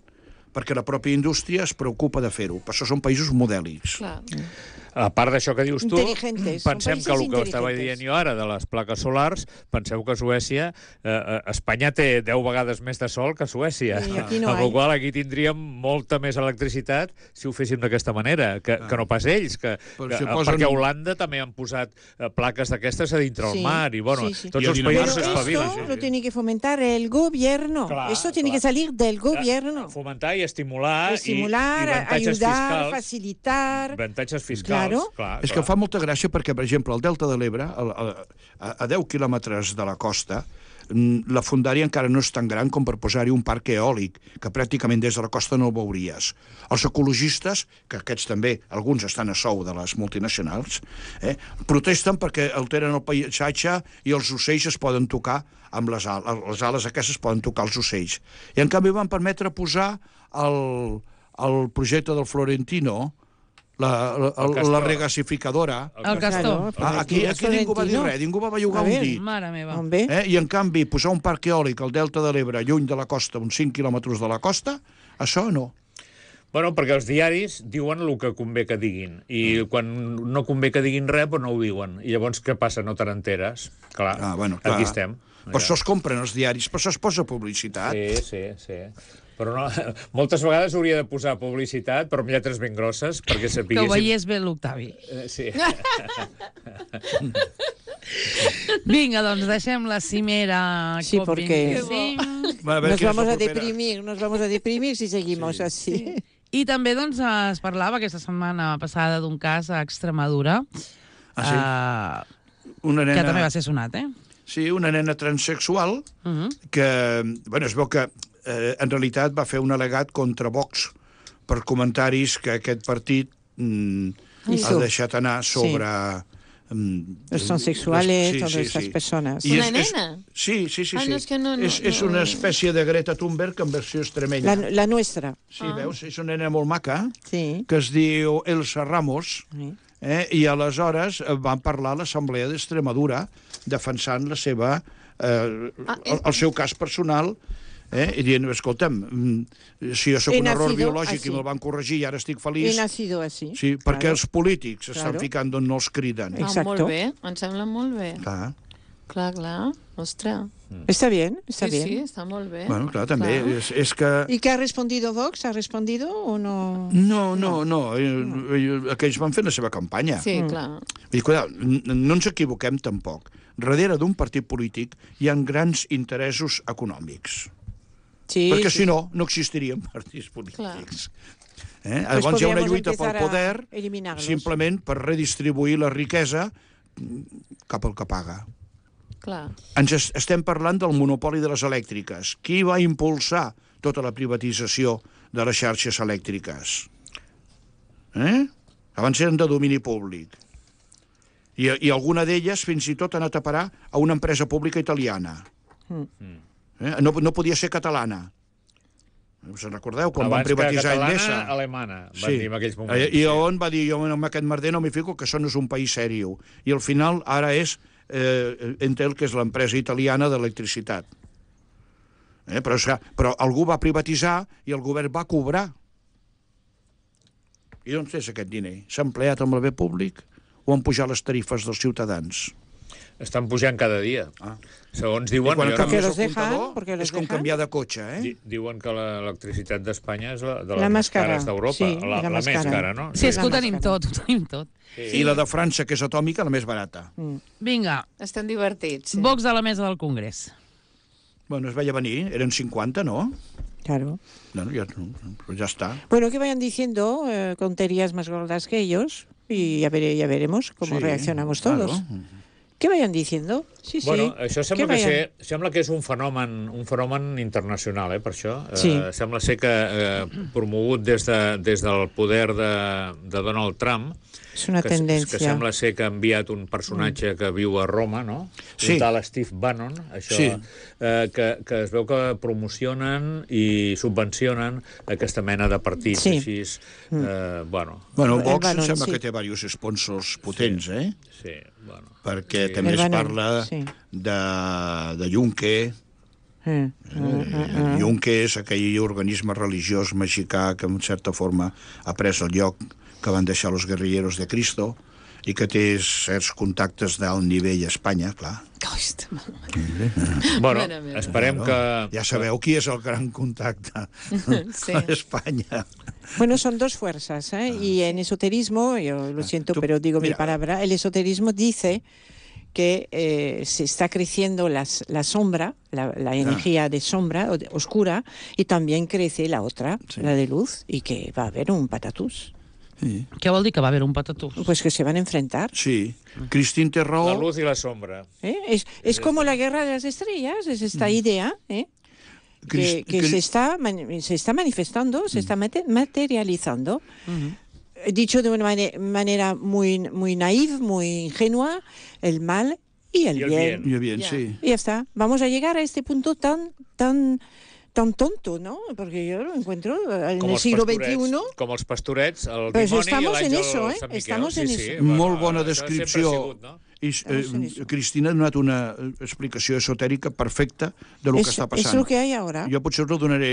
[SPEAKER 5] perquè la pròpia indústria es preocupa de fer-ho. Per això són països modèlics.
[SPEAKER 2] Clar.
[SPEAKER 4] A part d'això que dius tu,
[SPEAKER 3] Inteligentes,
[SPEAKER 4] pensem
[SPEAKER 3] són
[SPEAKER 4] que el que
[SPEAKER 3] països
[SPEAKER 4] estava
[SPEAKER 3] inteligentes.
[SPEAKER 4] dient jo ara de les plaques solars, penseu que Suècia, Espanya té 10 vegades més de sol que Suècia.
[SPEAKER 3] I aquí no
[SPEAKER 4] amb la
[SPEAKER 3] hay.
[SPEAKER 4] qual cosa aquí tindríem molta més electricitat si ho féssim d'aquesta manera, que no pas ells, perquè a Holanda també han posat plaques d'aquestes a dintre el mar, i bueno, tots els països
[SPEAKER 3] Pero
[SPEAKER 4] s'espavilen.
[SPEAKER 3] esto lo tiene que fomentar el gobierno.
[SPEAKER 4] Clar,
[SPEAKER 3] Esto tiene que salir del gobierno.
[SPEAKER 4] Fomentar i estimular,
[SPEAKER 3] Estimular,
[SPEAKER 4] i avantatges
[SPEAKER 3] ayudar,
[SPEAKER 4] fiscals.
[SPEAKER 3] facilitar.
[SPEAKER 4] Avantatges fiscals,
[SPEAKER 3] Claro.
[SPEAKER 4] clar.
[SPEAKER 5] És que fa molta gràcia perquè, per exemple, al Delta de l'Ebre, a 10 quilòmetres de la costa, la fondària encara no és tan gran com per posar-hi un parc eòlic, que pràcticament des de la costa no el veuries. Els ecologistes, que aquests també, alguns estan a sou de les multinacionals, protesten perquè alteren el paisatge i els ocells es poden tocar amb les ales aquestes es poden tocar els ocells. I en canvi van permetre posar el projecte del Florentino, la regasificadora.
[SPEAKER 1] El Castor.
[SPEAKER 5] Aquí ningú va dir res, ningú va bellugar un dit.
[SPEAKER 1] Mare meva.
[SPEAKER 5] I en canvi posar un parc eòlic al Delta de l'Ebre, lluny de la costa, uns 5 quilòmetres de la costa, això no.
[SPEAKER 4] Bueno, perquè els diaris diuen el que convé que diguin, i quan no convé que diguin res, doncs no ho diuen. I llavors què passa? No te n'enteres. Clar, aquí estem.
[SPEAKER 5] Per això es compren els diaris, per això es posa publicitat.
[SPEAKER 4] Sí. Però no, moltes vegades hauria de posar publicitat, però amb lletres ben grosses, perquè sapiguéssim...
[SPEAKER 1] Que ho veiés bé l'Octavi.
[SPEAKER 4] Sí.
[SPEAKER 1] Vinga, doncs deixem la cimera
[SPEAKER 3] Sí, porque
[SPEAKER 1] COP25.
[SPEAKER 3] nos vamos a deprimir si seguimos así.
[SPEAKER 1] I també doncs, es parlava aquesta setmana passada d'un cas a Extremadura, que també va ser sonat,
[SPEAKER 5] Sí, una nena transsexual que, bueno, es veu que en realitat va fer un al·legat contra Vox per comentaris que aquest partit ha deixat anar sobre...
[SPEAKER 3] Los transexuales, todas esas personas.
[SPEAKER 2] Una nena?
[SPEAKER 5] Sí.
[SPEAKER 2] no, és que no...
[SPEAKER 5] És una espècie de Greta Thunberg en versió extremenya.
[SPEAKER 3] La nuestra.
[SPEAKER 5] Sí, veus? És una nena molt maca,
[SPEAKER 3] Sí.
[SPEAKER 5] que es diu Elsa Ramos, i aleshores van parlar a l'Assemblea d'Extremadura defensant la seva, el seu cas personal, i dient, escolta'm, si jo soc un error biològic i me'l van corregir i ara estic feliç...
[SPEAKER 3] He nacido así.
[SPEAKER 5] Sí, perquè els polítics estan ficant d'on no els criden.
[SPEAKER 2] Molt bé, em sembla molt bé.
[SPEAKER 5] Clar.
[SPEAKER 2] Ostres.
[SPEAKER 3] Está bien, está bien.
[SPEAKER 2] Sí, està molt bé.
[SPEAKER 5] Bueno, clar, també és que...
[SPEAKER 3] ¿Y qué ha respondido Vox? ¿Ha respondido o no?
[SPEAKER 5] No. Aquells van fer la seva campanya.
[SPEAKER 2] Sí, clar.
[SPEAKER 5] I, no ens equivoquem tampoc. Darrere d'un partit polític hi ha grans interessos econòmics.
[SPEAKER 3] Sí,
[SPEAKER 5] perquè si no existirien partits polítics. Llavors hi ha una lluita pel poder simplement per redistribuir la riquesa cap al que paga.
[SPEAKER 2] Clar.
[SPEAKER 5] Ens estem parlant del monopoli de les elèctriques. Qui va impulsar tota la privatització de les xarxes elèctriques? Abans eren de domini públic. I alguna d'elles fins i tot ha anat a parar a una empresa pública italiana. No podia ser catalana. Se'n recordeu? Quan van privatitzar Endesa.
[SPEAKER 4] Abans que catalana, alemana, van dir en aquells moments.
[SPEAKER 5] I on va dir, jo en aquest merder no m'hi fico, que això no és un país sèrio. I al final ara és Entel, que és l'empresa italiana d'electricitat. Però algú va privatitzar i el govern va cobrar. I d'on és aquest diner? S'ha empleat amb el bé públic o han pujat les tarifes dels ciutadans?
[SPEAKER 4] Estan pujant cada dia. Segons diuen...
[SPEAKER 3] Perquè los dejan.
[SPEAKER 5] És com canviar de cotxe,
[SPEAKER 4] Diuen que l'electricitat d'Espanya és de
[SPEAKER 3] la
[SPEAKER 4] les
[SPEAKER 3] més
[SPEAKER 4] cares d'Europa.
[SPEAKER 3] Sí,
[SPEAKER 4] la més cara, no?
[SPEAKER 1] Sí, és que ho tenim tot,
[SPEAKER 5] I la de França, que és atòmica, la més barata.
[SPEAKER 1] Vinga.
[SPEAKER 2] Estan divertits.
[SPEAKER 1] Vox a la mesa del Congrés.
[SPEAKER 5] Bueno, es veia venir, eren 50, ¿no?
[SPEAKER 3] Claro.
[SPEAKER 5] Bueno, ya está.
[SPEAKER 3] Bueno, que vayan diciendo tonterías más gordas que ellos y ya veremos cómo reaccionamos todos. Claro. ¿Qué vayan diciendo? Sí,
[SPEAKER 4] bueno, això sembla que és un fenomen internacional, per això. Sembla ser que promogut des del poder de Donald Trump,
[SPEAKER 3] és una tendència.
[SPEAKER 4] Que sembla ser que ha enviat un personatge que viu a Roma, no? Un tal Steve Bannon, que es veu que promocionen i subvencionen aquesta mena de partits així.
[SPEAKER 5] Bueno, Vox em sembla que té diversos sponsors potents,
[SPEAKER 4] Sí, bueno.
[SPEAKER 5] Perquè també es
[SPEAKER 3] Permanent,
[SPEAKER 5] parla
[SPEAKER 3] sí.
[SPEAKER 5] de Yunque. Yunque és aquell organisme religiós mexicà que en certa forma ha pres el lloc que van deixar los guerrilleros de Cristo i que té certs contactes d'alt nivell a Espanya, clar.
[SPEAKER 4] Bueno, esperem que...
[SPEAKER 5] Ja sabeu qui és el gran contacte a Espanya.
[SPEAKER 3] Bueno, son dos fuerzas, ¿eh? Y en esoterismo, yo lo siento, pero digo mi palabra, el esoterismo dice que se está creciendo la sombra, la energía de sombra, oscura, y también crece la otra, la de luz, y que va a haber un patatús.
[SPEAKER 1] Sí. Què vol dir que va haver un patatús?
[SPEAKER 3] Pues que se van a enfrentar.
[SPEAKER 5] Sí. Cristín té raó.
[SPEAKER 4] La luz y la sombra.
[SPEAKER 3] Es como la guerra de las estrellas, es esta idea, que se está manifestando, se está materializando. Dicho de una manera muy, muy naive, muy ingenua, el mal y el bien.
[SPEAKER 5] Y el bien, sí.
[SPEAKER 3] Y ya está. Vamos a llegar a este punto tan tonto, ¿no? Porque yo lo encuentro en el siglo XXI.
[SPEAKER 4] Com els pastorets, el
[SPEAKER 3] pues
[SPEAKER 4] dimoni i l'àngel
[SPEAKER 3] eso,
[SPEAKER 4] Sant Miquel.
[SPEAKER 3] Estamos en eso.
[SPEAKER 5] Molt bona descripció. Cristina ha donat una explicació esotèrica perfecta de lo que està passant.
[SPEAKER 3] És el que hi ha ara.
[SPEAKER 5] Jo potser ho donaré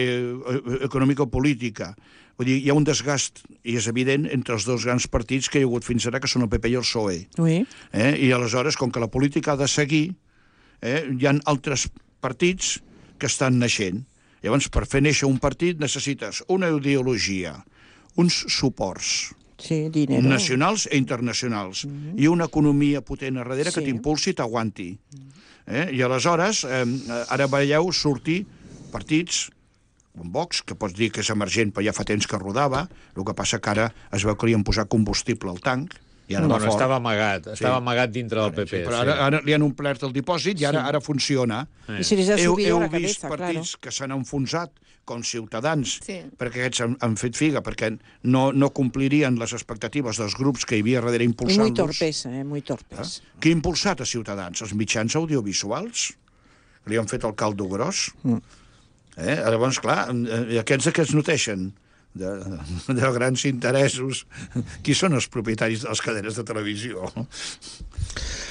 [SPEAKER 5] econòmico-política. Vull dir, hi ha un desgast, i és evident, entre els dos grans partits que hi ha hagut fins ara, que són el PP i el PSOE.
[SPEAKER 3] Oui.
[SPEAKER 5] I aleshores, com que la política ha de seguir, hi ha altres partits que estan naixent. Llavors, per fer néixer un partit necessites una ideologia, uns suports nacionals e internacionals i una economia potent a darrere que t'impulsi i t'aguanti. I aleshores, ara veieu sortir partits com Vox, que pots dir que és emergent però ja fa temps que rodava, el que passa que ara es veu que li han posat combustible al tanc.
[SPEAKER 4] Bueno, estava amagat dintre del PP.
[SPEAKER 5] Però ara li han omplert el dipòsit i ara funciona.
[SPEAKER 3] I se les ha subido la cabeza,
[SPEAKER 5] claro. Heu vist partits que s'han enfonsat, com Ciutadans, perquè aquests han fet figa, perquè no complirien les expectatives dels grups que hi havia darrere impulsant-los.
[SPEAKER 3] Muy torpes.
[SPEAKER 5] Qui ha impulsat a Ciutadans? Els mitjans audiovisuals? Li han fet el caldo gros? Llavors, clar, aquests que es noteixen de grans interessos. Qui són els propietaris de les cadenes de televisió?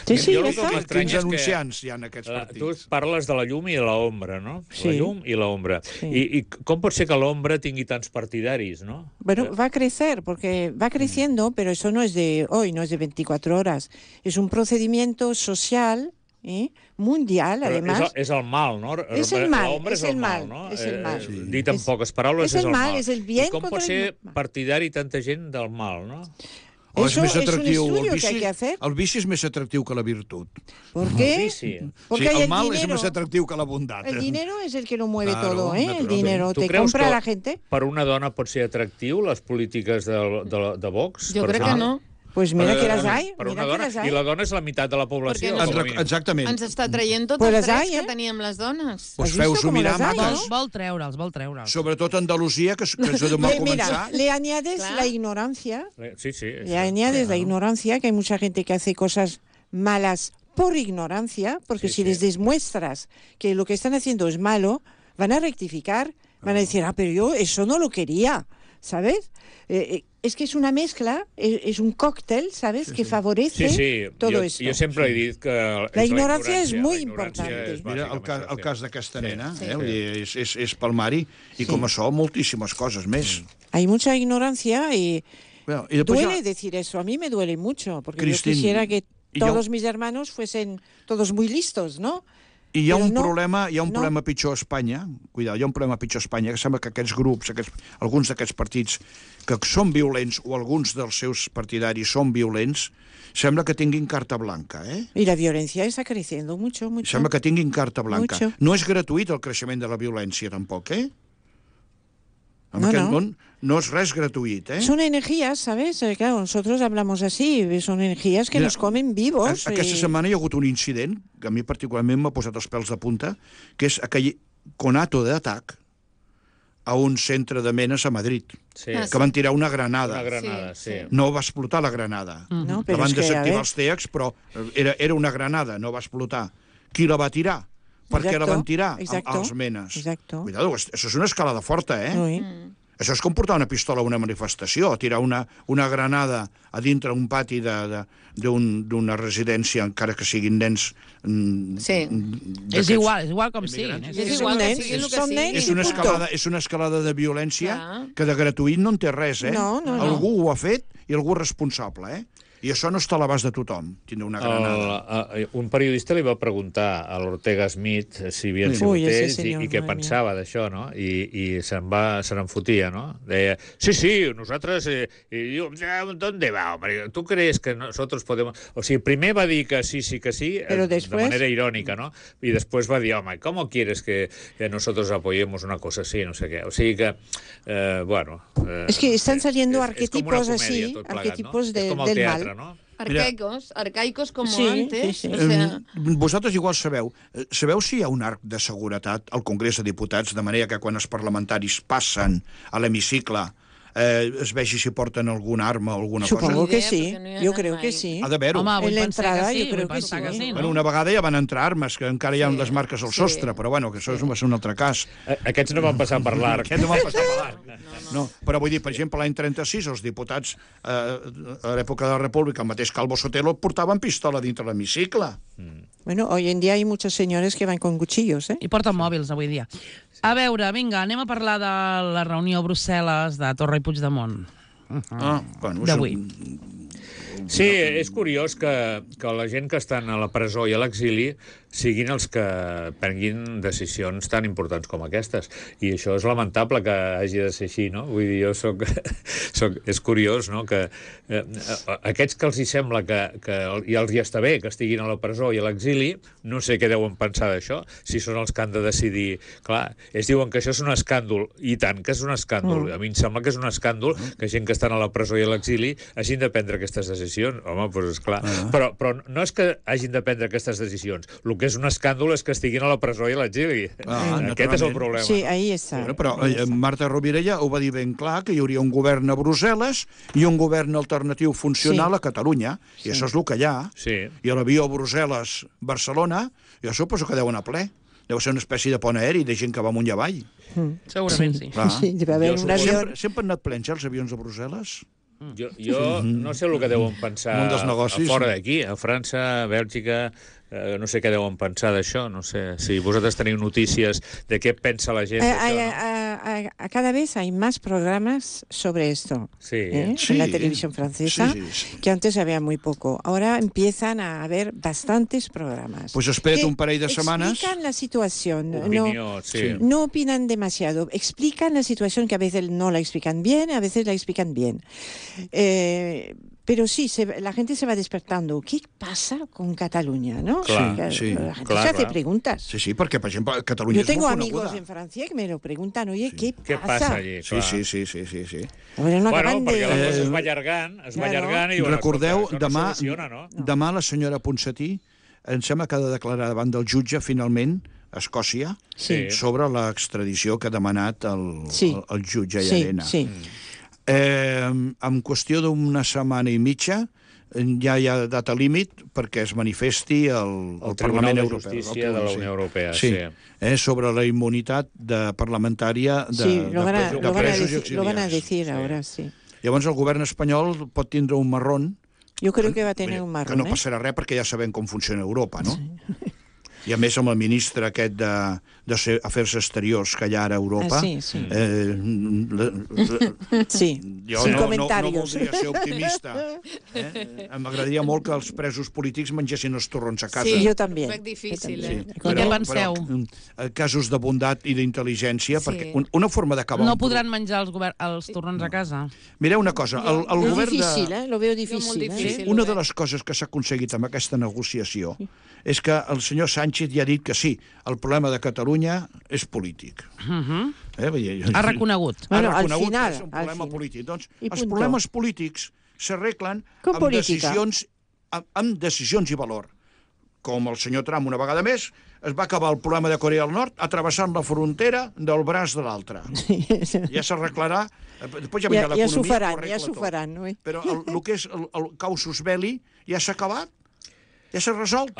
[SPEAKER 3] Sí,
[SPEAKER 5] Quins anunciants hi ha en aquests partits?
[SPEAKER 4] Tu parles de la llum i de l'ombra, no? La llum i l'ombra. I com pot ser que l'ombra tingui tants partidaris, no?
[SPEAKER 3] Bueno, va a crecer, porque va creciendo, pero eso no es de hoy, no es de 24 horas. Es un procedimiento social, mundial, además.
[SPEAKER 4] És el mal, no?
[SPEAKER 3] És el mal,
[SPEAKER 4] l'ombra és el mal, no?
[SPEAKER 3] És el mal.
[SPEAKER 4] Dit en poques paraules, és el mal.
[SPEAKER 3] És el bien.
[SPEAKER 4] I com pot ser partidari tanta gent del mal, no?
[SPEAKER 5] És més atractiu.
[SPEAKER 3] Es un estudio que hay que hacer.
[SPEAKER 5] El vici és més atractiu que la virtut.
[SPEAKER 3] ¿Por qué? Porque
[SPEAKER 5] el mal és més atractiu que la bondat.
[SPEAKER 3] El dinero es el que lo mueve todo, El dinero te compra la gente.
[SPEAKER 4] Per una dona pot ser atractiu les polítiques de Vox?
[SPEAKER 2] Jo crec que no.
[SPEAKER 3] Pues mira que las hay.
[SPEAKER 4] Per una dona. I la dona és la meitat de la població.
[SPEAKER 5] Exactament.
[SPEAKER 2] Ens està traient tots els drets que teníem les dones.
[SPEAKER 5] Pues feu-s'ho mirar, mates.
[SPEAKER 1] Vol treure'ls.
[SPEAKER 5] Sobretot Andalusia, que és on va començar.
[SPEAKER 3] Mira, le añades la ignorancia.
[SPEAKER 4] Sí.
[SPEAKER 3] Le añades la ignorancia, que hay mucha gente que hace cosas malas por ignorancia, porque si les demuestras que lo que están haciendo es malo, van a rectificar, van a decir, pero yo eso no lo quería, ¿sabes? Es que es una mezcla, es un cóctel, ¿sabes?, que favorece todo esto.
[SPEAKER 4] Jo sempre he dit que
[SPEAKER 3] la ignorancia es muy importante.
[SPEAKER 5] Mira, el cas d'aquesta nena, és palmari, i com això, moltíssimes coses més.
[SPEAKER 3] Hay mucha ignorancia y duele decir eso. A mí me duele mucho, porque yo quisiera que todos mis hermanos fuesen todos muy listos, ¿no?
[SPEAKER 5] I hi ha un problema pitjor a Espanya, hi ha un problema pitjor a Espanya, que sembla que aquests grups, alguns d'aquests partits que són violents, o alguns dels seus partidaris són violents, sembla que tinguin carta blanca,
[SPEAKER 3] Y la violencia está creciendo mucho.
[SPEAKER 5] Sembla que tinguin carta blanca.
[SPEAKER 3] Mucho.
[SPEAKER 5] No és gratuït el creixement de la violència, tampoc, En aquest món no és res gratuït,
[SPEAKER 3] Son energías, ¿sabes? Claro, nosotros hablamos así, son energías que nos comen vivos.
[SPEAKER 5] Aquesta setmana hi ha hagut un incident que a mi particularment m'ha posat els pèls de punta, que és aquell conato d'atac a un centre de menes a Madrid, que van tirar una granada. No va explotar la granada. La van desactivar els TEACs, però era una granada, no va explotar. Qui la va tirar? Per què la van tirar als menes?
[SPEAKER 3] Exacto.
[SPEAKER 5] Cuidado, això és una escalada forta,
[SPEAKER 3] Oui.
[SPEAKER 5] Això és com portar una pistola a una manifestació, tirar una granada a dintre un pati d'una residència, encara que siguin nens...
[SPEAKER 2] Sí.
[SPEAKER 1] És igual com siguin.
[SPEAKER 2] És igual que siguin el que siguin.
[SPEAKER 5] És una escalada de violència que de gratuït no en té res, eh?
[SPEAKER 3] No.
[SPEAKER 5] Algú ho ha fet i algú és responsable, eh? I això no està a l'abast de tothom, tindre una granada.
[SPEAKER 4] Un periodista li va preguntar a l'Ortega Smith si havien sigut ells i què pensava d'això, no? I se'n fotia, no? Deia, sí, nosaltres... ¿Dónde va, hombre? ¿Tú crees que nosotros podemos...? O sigui, primer va dir que sí, de manera irònica, no? I després va dir, home, ¿cómo quieres que nosotros apoyemos una cosa así? No sé què. O sigui que, bueno...
[SPEAKER 3] Es que están saliendo arquetipos así, arquetipos del mal.
[SPEAKER 4] ¿no?
[SPEAKER 2] Arcaicos como antes.
[SPEAKER 3] Sí.
[SPEAKER 2] O sea...
[SPEAKER 5] Vosaltres igual sabeu si hi ha un arc de seguretat al Congrés de Diputats, de manera que quan els parlamentaris passen a l'hemicicle es vegi si porten alguna arma o alguna cosa?
[SPEAKER 3] Supongo que sí, yo creo que sí.
[SPEAKER 5] Ha d'haver-ho.
[SPEAKER 1] Home, vull
[SPEAKER 3] En la
[SPEAKER 1] pensar
[SPEAKER 3] entrada
[SPEAKER 1] que sí,
[SPEAKER 3] jo crec
[SPEAKER 1] vull
[SPEAKER 3] que
[SPEAKER 1] pensar
[SPEAKER 3] sí.
[SPEAKER 1] que sí, no?
[SPEAKER 5] Bueno, una vegada ja van entrar armes, que encara hi ha les marques al sostre, però bueno, que això va ser un altre cas.
[SPEAKER 4] Aquests no van passar per l'arc.
[SPEAKER 5] Aquests no van passar per l'arc. No, però vull dir, per exemple, l'any 36, els diputats a l'època de la República, el mateix Calvo Sotelo, portaven pistola dintre l'hemicicle.
[SPEAKER 3] Bueno, hoy en día hay muchos señores que van con cuchillos, ¿eh?
[SPEAKER 1] I porten mòbils avui dia. A veure, vinga, anem a parlar de la reunió a Brussel·les de Torra i Puigdemont.
[SPEAKER 5] Bueno,
[SPEAKER 1] D'avui.
[SPEAKER 4] Sí, és curiós que la gent que estan a la presó i a l'exili siguin els que prenguin decisions tan importants com aquestes. I això és lamentable que hagi de ser així, no? Vull dir, és curiós, no?, que aquests que els hi sembla que i els hi està bé que estiguin a la presó i a l'exili, no sé què deuen pensar d'això, si són els que han de decidir. Clar, ells diuen que això és un escàndol, i tant que és un escàndol. A mi em sembla que és un escàndol que gent que estan a la presó i a l'exili hagin de prendre aquestes decisions. Home, doncs esclar. Però no és que hagin de prendre aquestes decisions. El que és un escàndol és que estiguin a la presó i a l'exili. Aquest és el problema.
[SPEAKER 3] Sí, ahí está.
[SPEAKER 5] Però Marta Rovira ja ho va dir ben clar, que hi hauria un govern a Brussel·les i un govern alternatiu funcional a Catalunya, i això és el que hi ha. I a l'avió Brussel·les-Barcelona, jo suposo que deu anar ple. Deu ser una espècie de pont aeri de gent que va amunt i avall.
[SPEAKER 1] Segurament sí.
[SPEAKER 3] Sí, debe haver un avió.
[SPEAKER 5] Sempre han anat plens, els avions de Brussel·les?
[SPEAKER 4] Jo no sé el que deuen pensar fora d'aquí, a França, a Bèlgica, no sé què deuen pensar d'això, no sé si vosaltres teniu notícies de què pensa la gent d'això.
[SPEAKER 3] Cada vez hay más programas sobre esto en la televisión francesa, que antes había muy poco. Ahora empiezan a haber bastantes programas.
[SPEAKER 5] Pues espera't un parell de setmanes.
[SPEAKER 3] Explican la situación.
[SPEAKER 4] Opinió,
[SPEAKER 3] no opinan demasiado. Explican la situación, que a veces no la explican bien, a veces la explican bien. Pero sí, la gente se va despertando. ¿Qué pasa con Cataluña, no?
[SPEAKER 4] Clar,
[SPEAKER 3] la gente se hace preguntas.
[SPEAKER 5] Sí, perquè, per exemple, Catalunya és molt coneguda.
[SPEAKER 3] Yo tengo amigos en Francia que me lo preguntan, oye, ¿qué
[SPEAKER 4] passa allí?
[SPEAKER 5] Sí.
[SPEAKER 3] Bueno,
[SPEAKER 4] perquè la cosa es va allargant i
[SPEAKER 5] recordeu,
[SPEAKER 4] demà no soluciona, no?
[SPEAKER 5] Demà la senyora Ponsatí em sembla que ha de declarar davant del jutge, finalment, a Escòcia, sobre l'extradició que ha demanat el jutge Llarena. En qüestió d'una setmana i mitja ja hi ha data límit perquè es manifesti el Parlament Europeu.
[SPEAKER 4] El Tribunal de Justícia de la Unió Europea,
[SPEAKER 5] sobre la immunitat parlamentària de presos i exiliats.
[SPEAKER 3] Lo van a decir ahora, sí.
[SPEAKER 5] Llavors el govern espanyol pot tindre un marrón.
[SPEAKER 3] Yo creo que va a tener un marrón.
[SPEAKER 5] Que no passarà res perquè ja sabem com funciona Europa, no? I a més amb el ministre aquest d'Afers Exteriors que hi ha ara a Europa... Jo no voldria ser optimista. M'agradaria molt que els presos polítics mengessin els torrons a casa.
[SPEAKER 3] Sí, jo també.
[SPEAKER 2] És difícil,
[SPEAKER 1] Què penseu?
[SPEAKER 5] Casos de bondat i d'intel·ligència, perquè una forma d'acabar...
[SPEAKER 1] No podran menjar els torrons a casa?
[SPEAKER 5] Mireu una cosa, el govern de...
[SPEAKER 3] Difícil, lo veo difícil.
[SPEAKER 5] Una de les coses que s'ha aconseguit amb aquesta negociació és que el senyor Sánchez ja ha dit que sí, el problema de Catalunya és polític.
[SPEAKER 1] Ha reconegut.
[SPEAKER 3] Bueno, al
[SPEAKER 5] que
[SPEAKER 3] final.
[SPEAKER 5] És un problema polític. Doncs els problemes polítics s'arreglen amb decisions i valor. Com el senyor Trump, una vegada més, es va acabar el problema de Corea del Nord atrevessant la frontera del braç de l'altre. Ja s'arreglarà. Després ja vindrà l'economia.
[SPEAKER 3] Ja s'ho faran.
[SPEAKER 5] Però el que és el causus belli ja s'ha acabat. Ja s'ha resolt.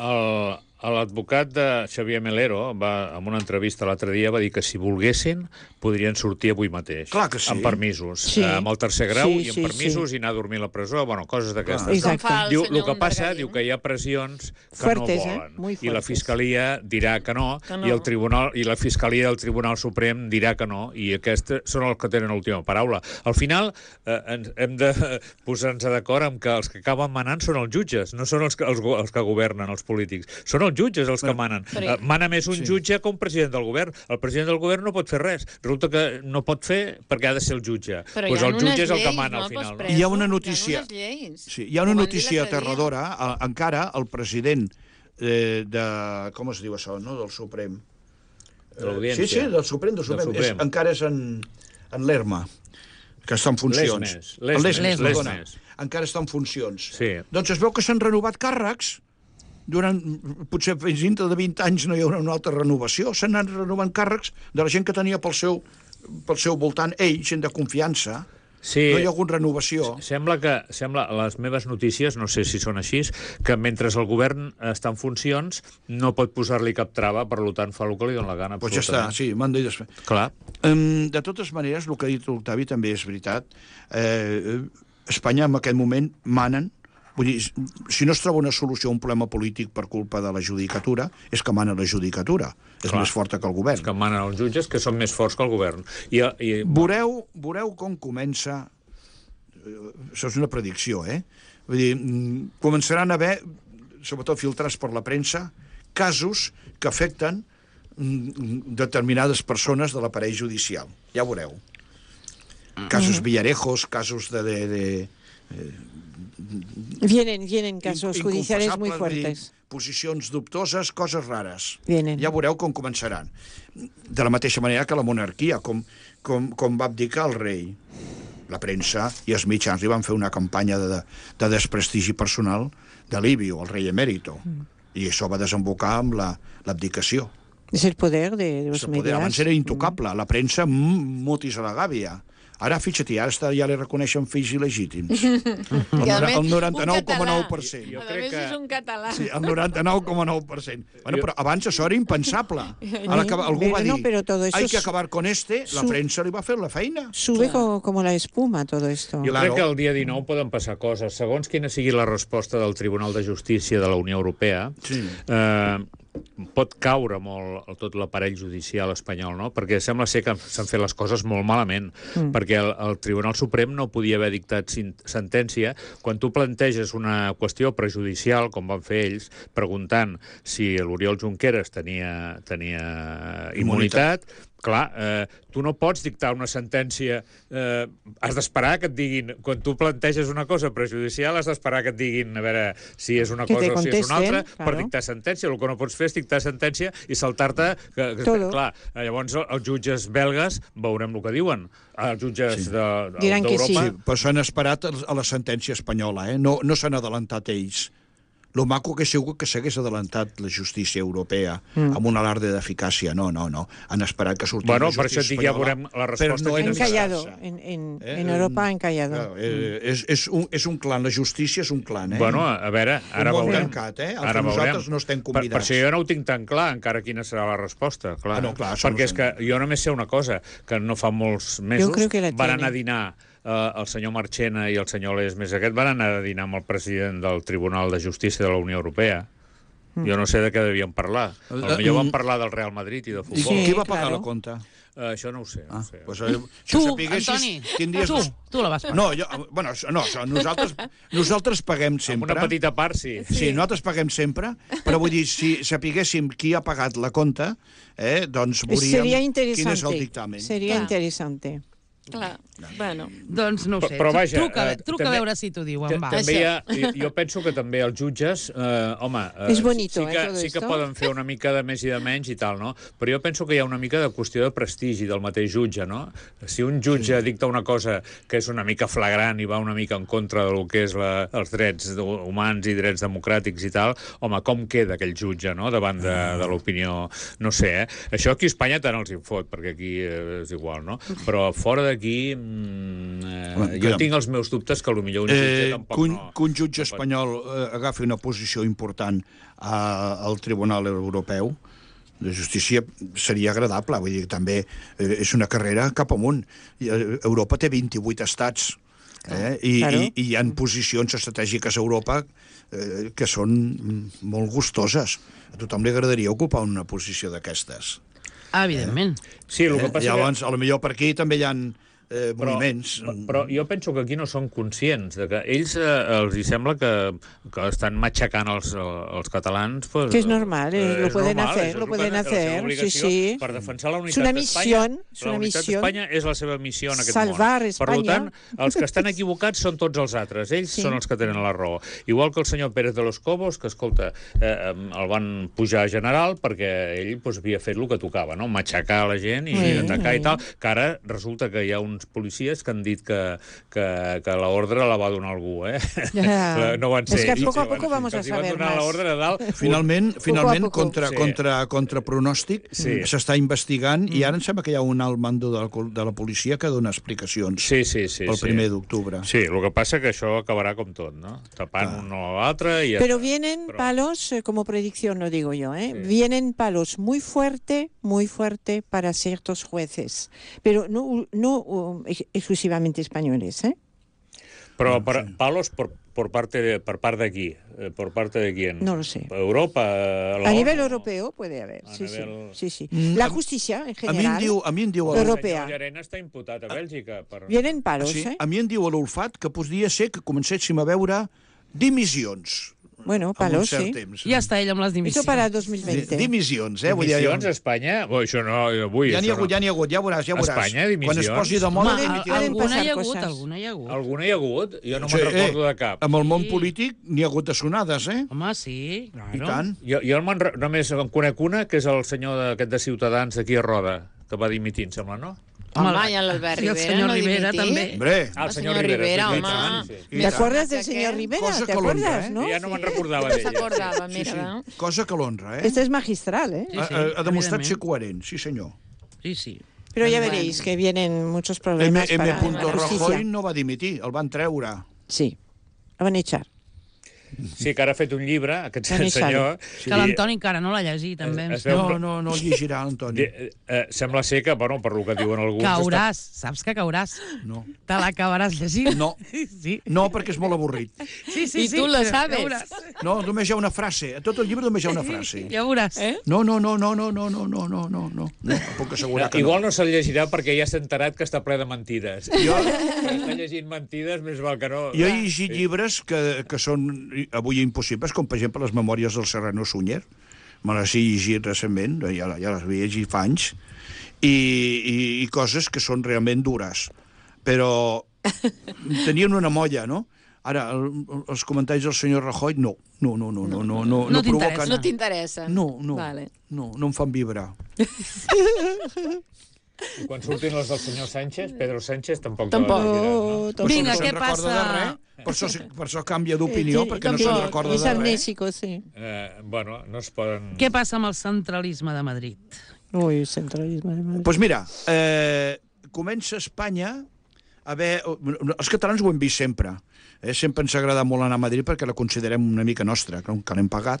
[SPEAKER 4] L'advocat de Xavier Melero, en una entrevista l'altre dia, va dir que si volguessin podrien sortir avui mateix.
[SPEAKER 5] Clar que sí.
[SPEAKER 4] Amb permisos.
[SPEAKER 3] Sí.
[SPEAKER 4] Amb el tercer grau
[SPEAKER 3] Sí,
[SPEAKER 4] i amb
[SPEAKER 3] sí,
[SPEAKER 4] permisos
[SPEAKER 3] sí.
[SPEAKER 4] i anar a dormir a la presó, bueno, coses d'aquestes.
[SPEAKER 3] Exacte.
[SPEAKER 2] Com fa el
[SPEAKER 4] Diu,
[SPEAKER 2] senyor
[SPEAKER 4] el que passa,
[SPEAKER 2] Undergarí,
[SPEAKER 4] diu que hi ha pressions que
[SPEAKER 3] Fuertes,
[SPEAKER 4] no volen.
[SPEAKER 3] Muy
[SPEAKER 4] I la
[SPEAKER 3] fuertes.
[SPEAKER 4] Fiscalia dirà que no,
[SPEAKER 2] Que no.
[SPEAKER 4] i el Tribunal i la Fiscalia del Tribunal Suprem dirà que no, i aquests són els que tenen l'última paraula. Al final, hem de posar-nos d'acord amb que els que acaben manant són els jutges, no són els que governen, els polítics. Són els jutges els que manen.
[SPEAKER 2] Però-
[SPEAKER 4] Mana més un jutge que un president del govern. El president del govern no pot fer res. Resulta que no pot fer perquè ha de ser el jutge.
[SPEAKER 2] Però
[SPEAKER 4] Pues
[SPEAKER 2] hi ha
[SPEAKER 4] el
[SPEAKER 2] unes
[SPEAKER 4] jutge és el que
[SPEAKER 2] lleis,
[SPEAKER 4] mana
[SPEAKER 2] no,
[SPEAKER 4] al final.
[SPEAKER 2] pels
[SPEAKER 4] No?
[SPEAKER 2] presos.
[SPEAKER 5] Hi ha una notícia.
[SPEAKER 2] Hi ha unes lleis.
[SPEAKER 5] Sí, hi ha una
[SPEAKER 2] Ho van dir
[SPEAKER 5] notícia
[SPEAKER 2] l'altre dia.
[SPEAKER 5] aterradora. Encara el president de... Com es diu això, no? Del Suprem.
[SPEAKER 4] De l'Audiència.
[SPEAKER 5] Sí, del Suprem.
[SPEAKER 4] Suprem.
[SPEAKER 5] Encara és en Lerma, que està en funcions.
[SPEAKER 4] Lesmes.
[SPEAKER 5] Perdona. Encara està en funcions.
[SPEAKER 4] Sí.
[SPEAKER 5] Doncs es veu que s'han renovat càrrecs. Potser fins dintre de 20 anys no hi haurà una altra renovació. S'han anat renovant càrrecs de la gent que tenia pel seu voltant, gent de confiança.
[SPEAKER 4] Sí.
[SPEAKER 5] No hi ha hagut renovació.
[SPEAKER 4] Sembla, les meves notícies, no sé si són així, que mentre el govern està en funcions no pot posar-li cap trava, per tant fa el que li dona la gana.
[SPEAKER 5] Doncs ja està, sí, m'han dit després.
[SPEAKER 4] Clar.
[SPEAKER 5] De totes maneres, el que ha dit l'Octavi també és veritat. Espanya en aquest moment manen. Vull dir, si no es troba una solució a un problema polític per culpa de la judicatura, és que mana la judicatura. És
[SPEAKER 4] Clar.
[SPEAKER 5] més forta que el govern.
[SPEAKER 4] És que manen els jutges, que són més forts que el govern.
[SPEAKER 5] Veureu com comença... Això és una predicció, Vull dir, començaran a haver, sobretot filtrats per la premsa, casos que afecten determinades persones de l'aparell judicial. Ja ho veureu. Casos Villarejos, casos de
[SPEAKER 3] Vienen casos judiciales muy fuertes.
[SPEAKER 5] Posicions dubtoses, coses rares.
[SPEAKER 3] Vienen.
[SPEAKER 5] Ja veureu com començaran. De la mateixa manera que la monarquia, com va abdicar el rei. La premsa i els mitjans li van fer una campanya de desprestigi personal de Livio, el rei emèrito. I això va desembocar amb l'abdicació.
[SPEAKER 3] Es el poder de los medios.
[SPEAKER 5] Abans era intocable. La premsa, mutis a la gàbia. Ara, fixa't, ara ja li reconeixen fills il·legítims.
[SPEAKER 2] I a més,
[SPEAKER 5] El
[SPEAKER 2] un
[SPEAKER 5] 99,9%.
[SPEAKER 4] Jo
[SPEAKER 2] A
[SPEAKER 4] crec
[SPEAKER 2] més,
[SPEAKER 4] que-
[SPEAKER 2] és un català.
[SPEAKER 5] Sí, el 99,9%. Bueno, però abans això era impensable. Ara que algú va dir,
[SPEAKER 3] No, pero todo eso
[SPEAKER 5] hay que acabar con este, la premsa li va fer la feina.
[SPEAKER 3] Sube como la espuma todo esto.
[SPEAKER 4] Jo
[SPEAKER 5] Claro.
[SPEAKER 4] crec que el dia 19 poden passar coses. Segons quina sigui la resposta del Tribunal de Justícia de la Unió Europea,
[SPEAKER 5] Sí.
[SPEAKER 4] pot caure molt tot l'aparell judicial espanyol, no? Perquè sembla ser que s'han fet les coses molt malament, perquè el Tribunal Suprem no podia haver dictat sentència quan tu planteges una qüestió prejudicial, com van fer ells, preguntant si l'Oriol Junqueras tenia immunitat. Clar, tu no pots dictar una sentència, has d'esperar que et diguin, quan tu planteges una cosa prejudicial, has d'esperar que et diguin, a veure, si és una
[SPEAKER 3] Que te
[SPEAKER 4] cosa o si és una altra,
[SPEAKER 3] contesten,
[SPEAKER 4] per
[SPEAKER 3] claro.
[SPEAKER 4] dictar sentència. El que no pots fer és dictar sentència i saltar-te...
[SPEAKER 3] Todo.
[SPEAKER 4] Clar, llavors els jutges belgues veurem el que diuen. Els jutges
[SPEAKER 3] Diran que sí.
[SPEAKER 4] d'Europa...
[SPEAKER 5] Però s'han esperat a la sentència espanyola, No s'han adelantat ells. Lo maco que ha sigut que s'hagués adelantat la justícia europea amb un alarde d'eficàcia. No. Han esperat que sortís
[SPEAKER 4] Bueno,
[SPEAKER 5] la
[SPEAKER 4] per això
[SPEAKER 5] justícia
[SPEAKER 4] et dic, ja
[SPEAKER 5] espanyola.
[SPEAKER 4] veurem la resposta
[SPEAKER 5] per no
[SPEAKER 4] quina
[SPEAKER 3] Han
[SPEAKER 4] serà.
[SPEAKER 3] callado.
[SPEAKER 5] engrissar-se.
[SPEAKER 3] En Europa han callado.
[SPEAKER 5] Clar, és un clan, la justícia és un clan,
[SPEAKER 4] Bueno, a veure, ara
[SPEAKER 5] Un món
[SPEAKER 4] veurem.
[SPEAKER 5] tancat, el que
[SPEAKER 4] Ara
[SPEAKER 5] nosaltres
[SPEAKER 4] veurem.
[SPEAKER 5] no estem
[SPEAKER 4] Per
[SPEAKER 5] convidats.
[SPEAKER 4] això jo no ho tinc tan clar, encara quina serà la resposta. Clar.
[SPEAKER 5] No, clar, això
[SPEAKER 4] perquè
[SPEAKER 5] no
[SPEAKER 4] és que jo només sé una cosa, que no fa molts mesos
[SPEAKER 3] creo que la
[SPEAKER 4] van
[SPEAKER 3] tiene.
[SPEAKER 4] anar a dinar el senyor Marchena i el senyor Lesmes aquest van anar a dinar amb el president del Tribunal de Justícia de la Unió Europea. Jo no sé de què devien parlar. Potser van parlar del Real Madrid i de
[SPEAKER 5] I
[SPEAKER 4] futbol.
[SPEAKER 3] Sí,
[SPEAKER 5] qui va pagar
[SPEAKER 3] claro.
[SPEAKER 5] la compta?
[SPEAKER 4] Això no ho sé. No ho sé.
[SPEAKER 5] Pues, si
[SPEAKER 1] Tu,
[SPEAKER 5] ho sapiguessis,
[SPEAKER 1] Antoni,
[SPEAKER 5] tindries...
[SPEAKER 1] tu la vas pagar.
[SPEAKER 5] No, nosaltres paguem
[SPEAKER 4] Amb
[SPEAKER 5] sempre.
[SPEAKER 4] una petita part, sí.
[SPEAKER 5] Sí, nosaltres paguem sempre, però vull dir, si sapiguéssim qui ha pagat la compta, doncs veuríem
[SPEAKER 3] Sería
[SPEAKER 5] quin és el
[SPEAKER 3] interesante.
[SPEAKER 5] dictamen.
[SPEAKER 3] Sería
[SPEAKER 2] Clar.
[SPEAKER 3] interesante.
[SPEAKER 2] Clar, bueno.
[SPEAKER 1] Doncs no ho sé.
[SPEAKER 4] Però vaja,
[SPEAKER 1] truca
[SPEAKER 4] també-
[SPEAKER 1] a veure si t'ho diuen, va.
[SPEAKER 4] També hi ha, jo penso que també els jutges, home,
[SPEAKER 3] És bonito,
[SPEAKER 4] sí que,
[SPEAKER 3] todo
[SPEAKER 4] sí que
[SPEAKER 3] esto.
[SPEAKER 4] poden fer una mica de més i de menys i tal, no? Però jo penso que hi ha una mica de qüestió de prestigi del mateix jutge, no? Si un jutge dicta una cosa que és una mica flagrant i va una mica en contra del que és els drets humans i drets democràtics i tal, home, com queda aquell jutge, no?, davant de l'opinió, no sé, Això aquí a Espanya tant els en fot, perquè aquí és igual, no? Però fora aquí... jo tinc els meus dubtes que potser un jutge tampoc no...
[SPEAKER 5] Que un jutge espanyol agafi una posició important al Tribunal Europeu de Justícia seria agradable. Vull dir, també és una carrera cap amunt. Europa té 28 estats i hi ha posicions estratègiques a Europa que són molt gustoses. A tothom li agradaria ocupar una posició d'aquestes.
[SPEAKER 1] Evidentment.
[SPEAKER 4] Sí, el que passa
[SPEAKER 5] llavors, potser per aquí també hi ha moviments.
[SPEAKER 4] Però jo penso que aquí no són conscients de que ells els hi sembla que estan matxacant els catalans. Pues,
[SPEAKER 3] que es normal, lo pueden hacer, sí, sí.
[SPEAKER 4] Per defensar la unitat d'Espanya. La unitat d'Espanya és la seva missió en aquest
[SPEAKER 3] Salvar
[SPEAKER 4] món.
[SPEAKER 3] Espanya.
[SPEAKER 4] Per tant, els que estan equivocats són tots els altres. Ells són els que tenen la raó. Igual que el senyor Pérez de los Cobos, que, escolta, el van pujar a general perquè ell havia fet el que tocava, no? Matxacar la gent i atacar i tal, que ara resulta que hi ha uns policies que han dit que l'ordre la va donar algú, No van ser...
[SPEAKER 3] Es que poco a poco vamos a saber más.
[SPEAKER 4] L'ordre de dalt.
[SPEAKER 5] Finalment, contra pronòstic, s'està investigant i ara em sembla que hi ha un alt mando de la policia que dona explicacions pel 1 d'octubre.
[SPEAKER 4] Sí, el que passa que això acabarà com tot, no? Tapant un o l'altre i ja
[SPEAKER 3] Pero vienen palos, como predicción lo digo yo, vienen palos muy fuerte para ciertos jueces, pero no exclusivamente españoles,
[SPEAKER 4] Però palos por parte de aquí, por parte de quién?
[SPEAKER 3] No lo sé.
[SPEAKER 4] Europa,
[SPEAKER 3] a nivel europeo puede haber, sí. La justicia en general.
[SPEAKER 5] A mi em diu
[SPEAKER 3] europea.
[SPEAKER 4] El senyor Llarena està imputat a Bèlgica.
[SPEAKER 3] Vienen palos,
[SPEAKER 5] A mi em diu a l'olfat que podria ser que comencéssim a veure dimissions.
[SPEAKER 3] Bueno, palos, sí.
[SPEAKER 1] Ja està ell amb les dimissions.
[SPEAKER 3] Eso para 2020.
[SPEAKER 5] Dimissions,
[SPEAKER 4] Dimissions a Espanya? Això no, avui.
[SPEAKER 5] Ja n'hi ha hagut, ja veuràs.
[SPEAKER 4] Espanya, dimissions?
[SPEAKER 5] Quan es posi de moda,
[SPEAKER 1] Alguna hi ha hagut.
[SPEAKER 4] Alguna hi ha hagut? Jo no me'n recordo de cap.
[SPEAKER 5] Amb el món polític n'hi ha hagut de sonades,
[SPEAKER 1] Home, sí.
[SPEAKER 5] I tant.
[SPEAKER 4] Jo només en conec una, que és el senyor aquest de Ciutadans d'aquí a Roda, que va dimitir, em sembla, no?
[SPEAKER 2] Home, i l'Albert Rivera,
[SPEAKER 1] el senyor Rivera també.
[SPEAKER 2] El senyor Rivera, home.
[SPEAKER 3] ¿Te acuerdas del señor Rivera?
[SPEAKER 5] Cosa
[SPEAKER 3] ¿Te
[SPEAKER 5] que
[SPEAKER 3] acuerdas, no?
[SPEAKER 4] Ja no me'n recordava d'ella.
[SPEAKER 2] No s'acordava, mira.
[SPEAKER 5] Cosa que l'honra,
[SPEAKER 3] Este es magistral,
[SPEAKER 5] Ha demostrat ser coherent, sí senyor.
[SPEAKER 1] Sí.
[SPEAKER 3] Pero ya veréis que vienen muchos problemas para la
[SPEAKER 5] Rajoy
[SPEAKER 3] justicia.
[SPEAKER 5] no va dimitir, el van treure.
[SPEAKER 3] Sí, lo van a echar.
[SPEAKER 4] Sí, que ara ha fet un llibre, aquest senyor...
[SPEAKER 1] Que l'Antoni encara no l'ha llegit, també.
[SPEAKER 5] No el llegirà, l'Antoni.
[SPEAKER 4] Sembla ser que, bueno, per lo que diuen alguns...
[SPEAKER 1] Cauràs, saps que cauràs?
[SPEAKER 5] No.
[SPEAKER 1] Te l'acabaràs llegint?
[SPEAKER 5] No.
[SPEAKER 1] Sí.
[SPEAKER 5] No, perquè és molt avorrit.
[SPEAKER 1] Sí.
[SPEAKER 2] I tu la sabes.
[SPEAKER 5] No, només hi ha una frase. A tot el llibre només hi ha una frase.
[SPEAKER 1] Ja veuràs.
[SPEAKER 5] No. No, puc assegurar que no.
[SPEAKER 4] Igual no se'l llegirà perquè ja s'ha enterat que està ple de mentides. Està llegint mentides, més val que no...
[SPEAKER 5] Jo he llegit llibres que són avui impossibles, com per exemple les memòries del Serrano Sunyer. Me les he llegit recentment, ja les havia llegit fa anys, i coses que són realment dures. Però tenien una molla, no? Ara, els comentaris del senyor Rajoy, no provoquen...
[SPEAKER 2] No t'interessa.
[SPEAKER 5] No em fan vibrar.
[SPEAKER 4] I quan surtin les del senyor Sánchez, Pedro Sánchez tampoc.
[SPEAKER 1] Vinga, què passa?
[SPEAKER 5] Per això canvia d'opinió, perquè no se'n recorda de res.
[SPEAKER 3] És amnèsico, sí.
[SPEAKER 4] Bueno, no es poden...
[SPEAKER 1] Què passa amb el centralisme de Madrid?
[SPEAKER 3] Ui, centralisme de Madrid.
[SPEAKER 5] Doncs mira, comença Espanya a haver... Els catalans ho hem vist sempre. Sempre ens ha agradat molt anar a Madrid perquè la considerem una mica nostra, que l'hem pagat.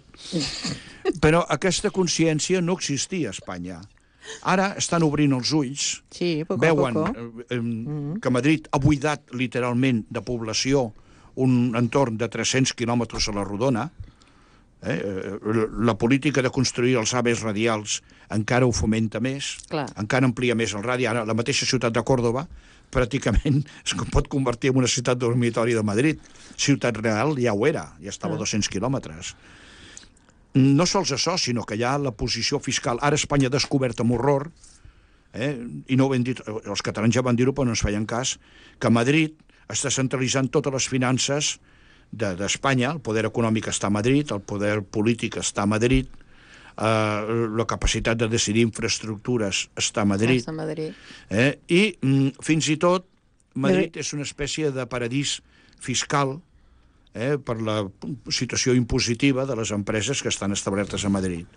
[SPEAKER 5] Però aquesta consciència no existia a Espanya. Ara estan obrint els ulls, veuen que Madrid ha buidat literalment de població un entorn de 300 quilòmetres a la rodona. La política de construir els AVEs radials encara ho fomenta més, encara amplia més el radi. Ara, la mateixa ciutat de Còrdova pràcticament es pot convertir en una ciutat dormitori de Madrid. Ciutat Real ja ho era, ja estava a 200 quilòmetres. No sols això, sinó que hi ha la posició fiscal. Ara Espanya ha descobert amb horror, i no ho hem dit, els catalans ja van dir-ho però no ens feien cas, que Madrid està centralitzant totes les finances d'Espanya, el poder econòmic està a Madrid, el poder polític està a Madrid, la capacitat de decidir infraestructures està a Madrid. I fins i tot Madrid és una espècie de paradís fiscal per la situació impositiva de les empreses que estan establertes a Madrid.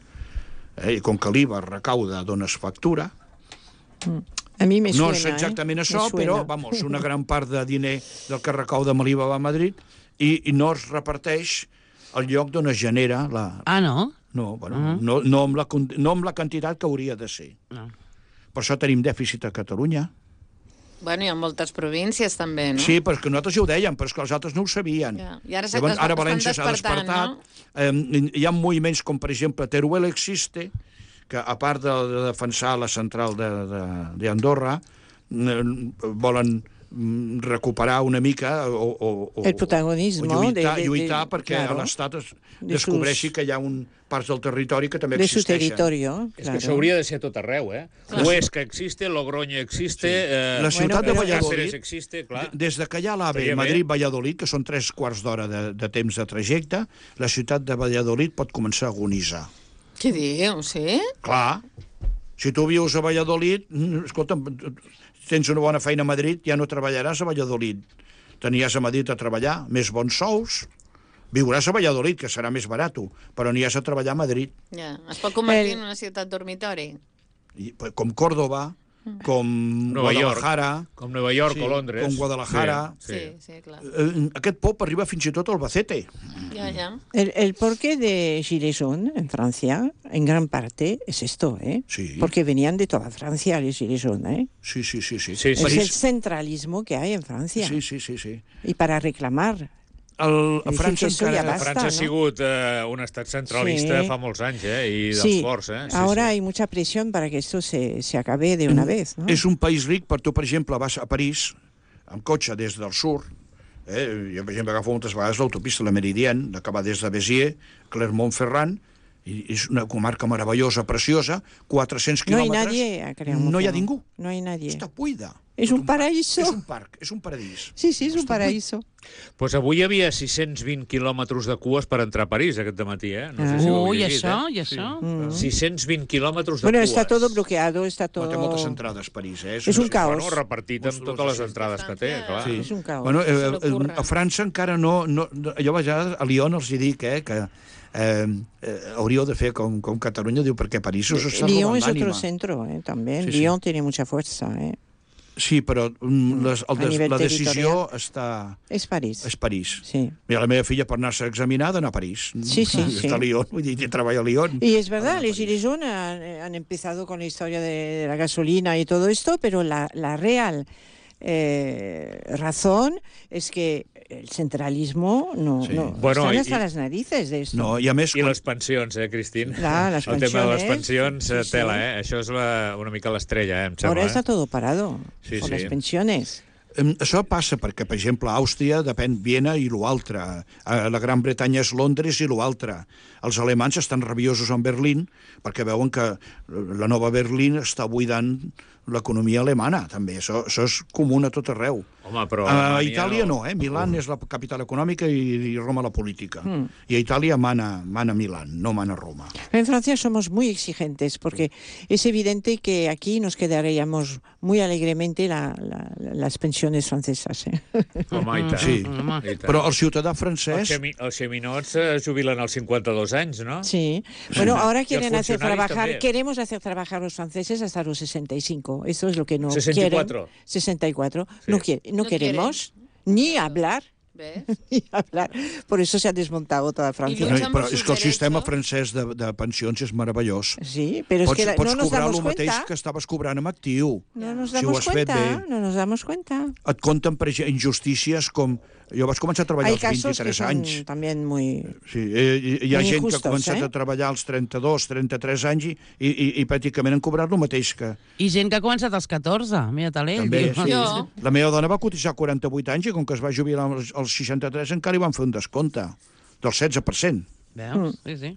[SPEAKER 5] I com que l'IVA recauda, dones factura,
[SPEAKER 3] A mi me
[SPEAKER 5] No
[SPEAKER 3] suena,
[SPEAKER 5] és exactament això,
[SPEAKER 3] me suena.
[SPEAKER 5] però, vamos, una gran part de diner del que recauda Maliva va a Madrid i no es reparteix al lloc d'on es genera la...
[SPEAKER 1] Ah, no?
[SPEAKER 5] No, bueno, no amb la quantitat que hauria de ser.
[SPEAKER 1] No.
[SPEAKER 5] Per això tenim dèficit a Catalunya.
[SPEAKER 2] Bueno, hi ha moltes províncies també, no?
[SPEAKER 5] Sí, perquè nosaltres ja ho dèiem, però és que els altres no ho sabien.
[SPEAKER 2] Ja. I ara
[SPEAKER 5] Llavors, ara
[SPEAKER 2] estan
[SPEAKER 5] València s'ha
[SPEAKER 2] despertant,
[SPEAKER 5] despertat. Hi ha moviments com, per exemple, Teruel Existe, que a part de defensar la central d'Andorra, volen recuperar una mica o
[SPEAKER 3] el protagonisme
[SPEAKER 5] lluitar perquè
[SPEAKER 3] claro,
[SPEAKER 5] l'Estat descobreixi que hi ha parts del territori que també
[SPEAKER 3] de su
[SPEAKER 5] existeixen.
[SPEAKER 3] territorio.
[SPEAKER 4] És que això hauria de ser a tot arreu, eh? Huesca existe, Logroño existe...
[SPEAKER 5] La ciutat de Valladolid,
[SPEAKER 4] existe, clar.
[SPEAKER 5] des de que hi ha l'AVE Madrid-Valladolid, que són 3 quarts d'hora de temps de trajecte, la ciutat de Valladolid pot començar a agonitzar.
[SPEAKER 2] Què diu, sí?
[SPEAKER 5] Clar, si tu vius a Valladolid, escolta'm, tens una bona feina a Madrid, ja no treballaràs a Valladolid. T'aniràs a Madrid a treballar, més bons sous, viuràs a Valladolid, que serà més barat, però aniràs a treballar a Madrid.
[SPEAKER 2] Ja. Es pot convertir en una ciutat dormitori.
[SPEAKER 5] Com Córdoba, com
[SPEAKER 4] Nova
[SPEAKER 5] Guadalajara...
[SPEAKER 4] Com Nova York o Londres.
[SPEAKER 5] Com Guadalajara.
[SPEAKER 2] Sí, clar.
[SPEAKER 5] Aquest pop arriba fins i tot al Albacete.
[SPEAKER 2] Ya.
[SPEAKER 3] El porqué de Gilets jaunes en Francia, en gran parte, es esto, ¿eh?
[SPEAKER 5] Sí.
[SPEAKER 3] Porque venían de toda Francia los Gilets jaunes, ¿eh?
[SPEAKER 5] Sí.
[SPEAKER 3] Es el centralismo que hay en Francia.
[SPEAKER 5] Sí.
[SPEAKER 3] Y para reclamar.
[SPEAKER 5] A França encara...
[SPEAKER 4] França ha sigut un estat centralista fa molts anys, i dels forts,
[SPEAKER 3] Sí, ahora hay mucha presión para que esto se acabe de una vez, ¿no?
[SPEAKER 5] És un país ric, per tu, per exemple, vas a París amb cotxe des del sud, jo, per exemple, agafo moltes vegades l'autopista, la Meridienne, que va des de Béziers, Clermont-Ferrand, i és una comarca meravellosa, preciosa, 400 quilòmetres...
[SPEAKER 3] No hay nadie a Clermont-Ferrand.
[SPEAKER 5] No hi ha ningú.
[SPEAKER 3] No hay nadie.
[SPEAKER 5] Està buida.
[SPEAKER 3] És un paraíso.
[SPEAKER 5] És un parc, és un paradís.
[SPEAKER 3] Sí, és un paraíso.
[SPEAKER 4] Pues avui hi havia 620 quilòmetres de cues per entrar a París aquest dematí, No sé si ho heu llegit,
[SPEAKER 1] i això?
[SPEAKER 4] 620 quilòmetres de
[SPEAKER 3] Bueno,
[SPEAKER 4] cues.
[SPEAKER 3] está todo bloqueado, está todo...
[SPEAKER 5] Té moltes entrades, París,
[SPEAKER 3] És un caos.
[SPEAKER 4] Bueno, repartit amb totes les entrades que té, clar.
[SPEAKER 3] Sí. És un caos.
[SPEAKER 5] Bueno, a França encara no... Jo a vegades a Lyon els hi dic, que hauríeu de fer com Catalunya, diu, perquè París us està
[SPEAKER 3] Lyon
[SPEAKER 5] robant
[SPEAKER 3] es otro
[SPEAKER 5] l'ànima.
[SPEAKER 3] centro, también.
[SPEAKER 5] Sí.
[SPEAKER 3] Lyon tiene mucha fuerza,
[SPEAKER 5] Sí, però
[SPEAKER 3] nivell
[SPEAKER 5] la decisió està...
[SPEAKER 3] És París.
[SPEAKER 5] És París.
[SPEAKER 3] Sí.
[SPEAKER 5] Mira, la meva filla, per anar-se a examinar, ha d'anar a París.
[SPEAKER 3] Sí.
[SPEAKER 5] Està a Lyon, vull dir, treballa a Lyon.
[SPEAKER 3] Y es verdad, los Gilets jaunes han empezado con la historia de la gasolina y todo esto, pero la real razón es que el centralismo
[SPEAKER 4] Bueno,
[SPEAKER 3] están hasta las narices de esto.
[SPEAKER 5] No, i a més...
[SPEAKER 4] I les pensions, Cristín?
[SPEAKER 3] Clar, les
[SPEAKER 4] El tema de les
[SPEAKER 3] pensiones,
[SPEAKER 4] pensions,
[SPEAKER 3] sí.
[SPEAKER 4] tela, Això és una mica l'estrella, em sembla.
[SPEAKER 3] Ahora está todo parado con las pensiones.
[SPEAKER 5] Això passa perquè, per exemple, a Àustria depèn Viena i l'altre. A la Gran Bretanya és Londres i l'altre. Els alemans estan rabiosos amb Berlín perquè veuen que la nova Berlín està buidant l'economia alemana, també. Això és comú a tot arreu.
[SPEAKER 4] Home, però
[SPEAKER 5] a Itàlia no, Milán és la capital econòmica i Roma la política. I a Itàlia mana Milán, no mana Roma.
[SPEAKER 3] En Francia somos muy exigentes porque es evidente que aquí nos quedaríamos muy alegremente las pensiones francesas.
[SPEAKER 4] Home, i tant.
[SPEAKER 5] Sí,
[SPEAKER 4] I tant.
[SPEAKER 5] però el ciutadà francès...
[SPEAKER 4] Els xeminots jubilen als 52 anys, no?
[SPEAKER 3] Sí. Bueno, ahora quieren
[SPEAKER 4] los
[SPEAKER 3] hacer
[SPEAKER 4] funcionarios
[SPEAKER 3] trabajar,
[SPEAKER 4] también.
[SPEAKER 3] queremos hacer trabajar a los franceses hasta los 65. Eso es lo que no
[SPEAKER 4] 64.
[SPEAKER 3] quieren. 64.
[SPEAKER 4] Sí.
[SPEAKER 3] No queremos ni hablar.
[SPEAKER 2] ¿Ves?
[SPEAKER 3] Ni hablar. Por eso se ha desmontado toda Francia.
[SPEAKER 2] I luchamos
[SPEAKER 5] Però
[SPEAKER 2] sus
[SPEAKER 5] és que el sistema
[SPEAKER 2] derechos.
[SPEAKER 5] francès de pensions és meravellós.
[SPEAKER 3] Sí, pero es que
[SPEAKER 5] Pots
[SPEAKER 3] no nos
[SPEAKER 5] cobrar
[SPEAKER 3] damos
[SPEAKER 5] el mateix
[SPEAKER 3] cuenta.
[SPEAKER 5] que estaves cobrant amb actiu.
[SPEAKER 3] No nos
[SPEAKER 5] Si ho
[SPEAKER 3] damos
[SPEAKER 5] has fet
[SPEAKER 3] cuenta,
[SPEAKER 5] bé.
[SPEAKER 3] no nos damos cuenta.
[SPEAKER 5] Et compten per injustícies com... Jo vaig començar a treballar
[SPEAKER 3] Hay
[SPEAKER 5] als
[SPEAKER 3] casos que
[SPEAKER 5] 23
[SPEAKER 3] son
[SPEAKER 5] anys.
[SPEAKER 3] también muy...
[SPEAKER 5] Sí, hi ha
[SPEAKER 3] Muy
[SPEAKER 5] gent que ha
[SPEAKER 3] injustos,
[SPEAKER 5] començat a treballar als 32, 33 anys i pràcticament han cobrat el mateix que...
[SPEAKER 1] I gent que ha començat als 14, mira talent.
[SPEAKER 5] També,
[SPEAKER 1] diu.
[SPEAKER 5] sí.
[SPEAKER 2] Jo.
[SPEAKER 5] La meva dona va cotitzar 48 anys i com que es va jubilar als 63 encara li van fer un descompte del 16%.
[SPEAKER 1] Veus? Sí.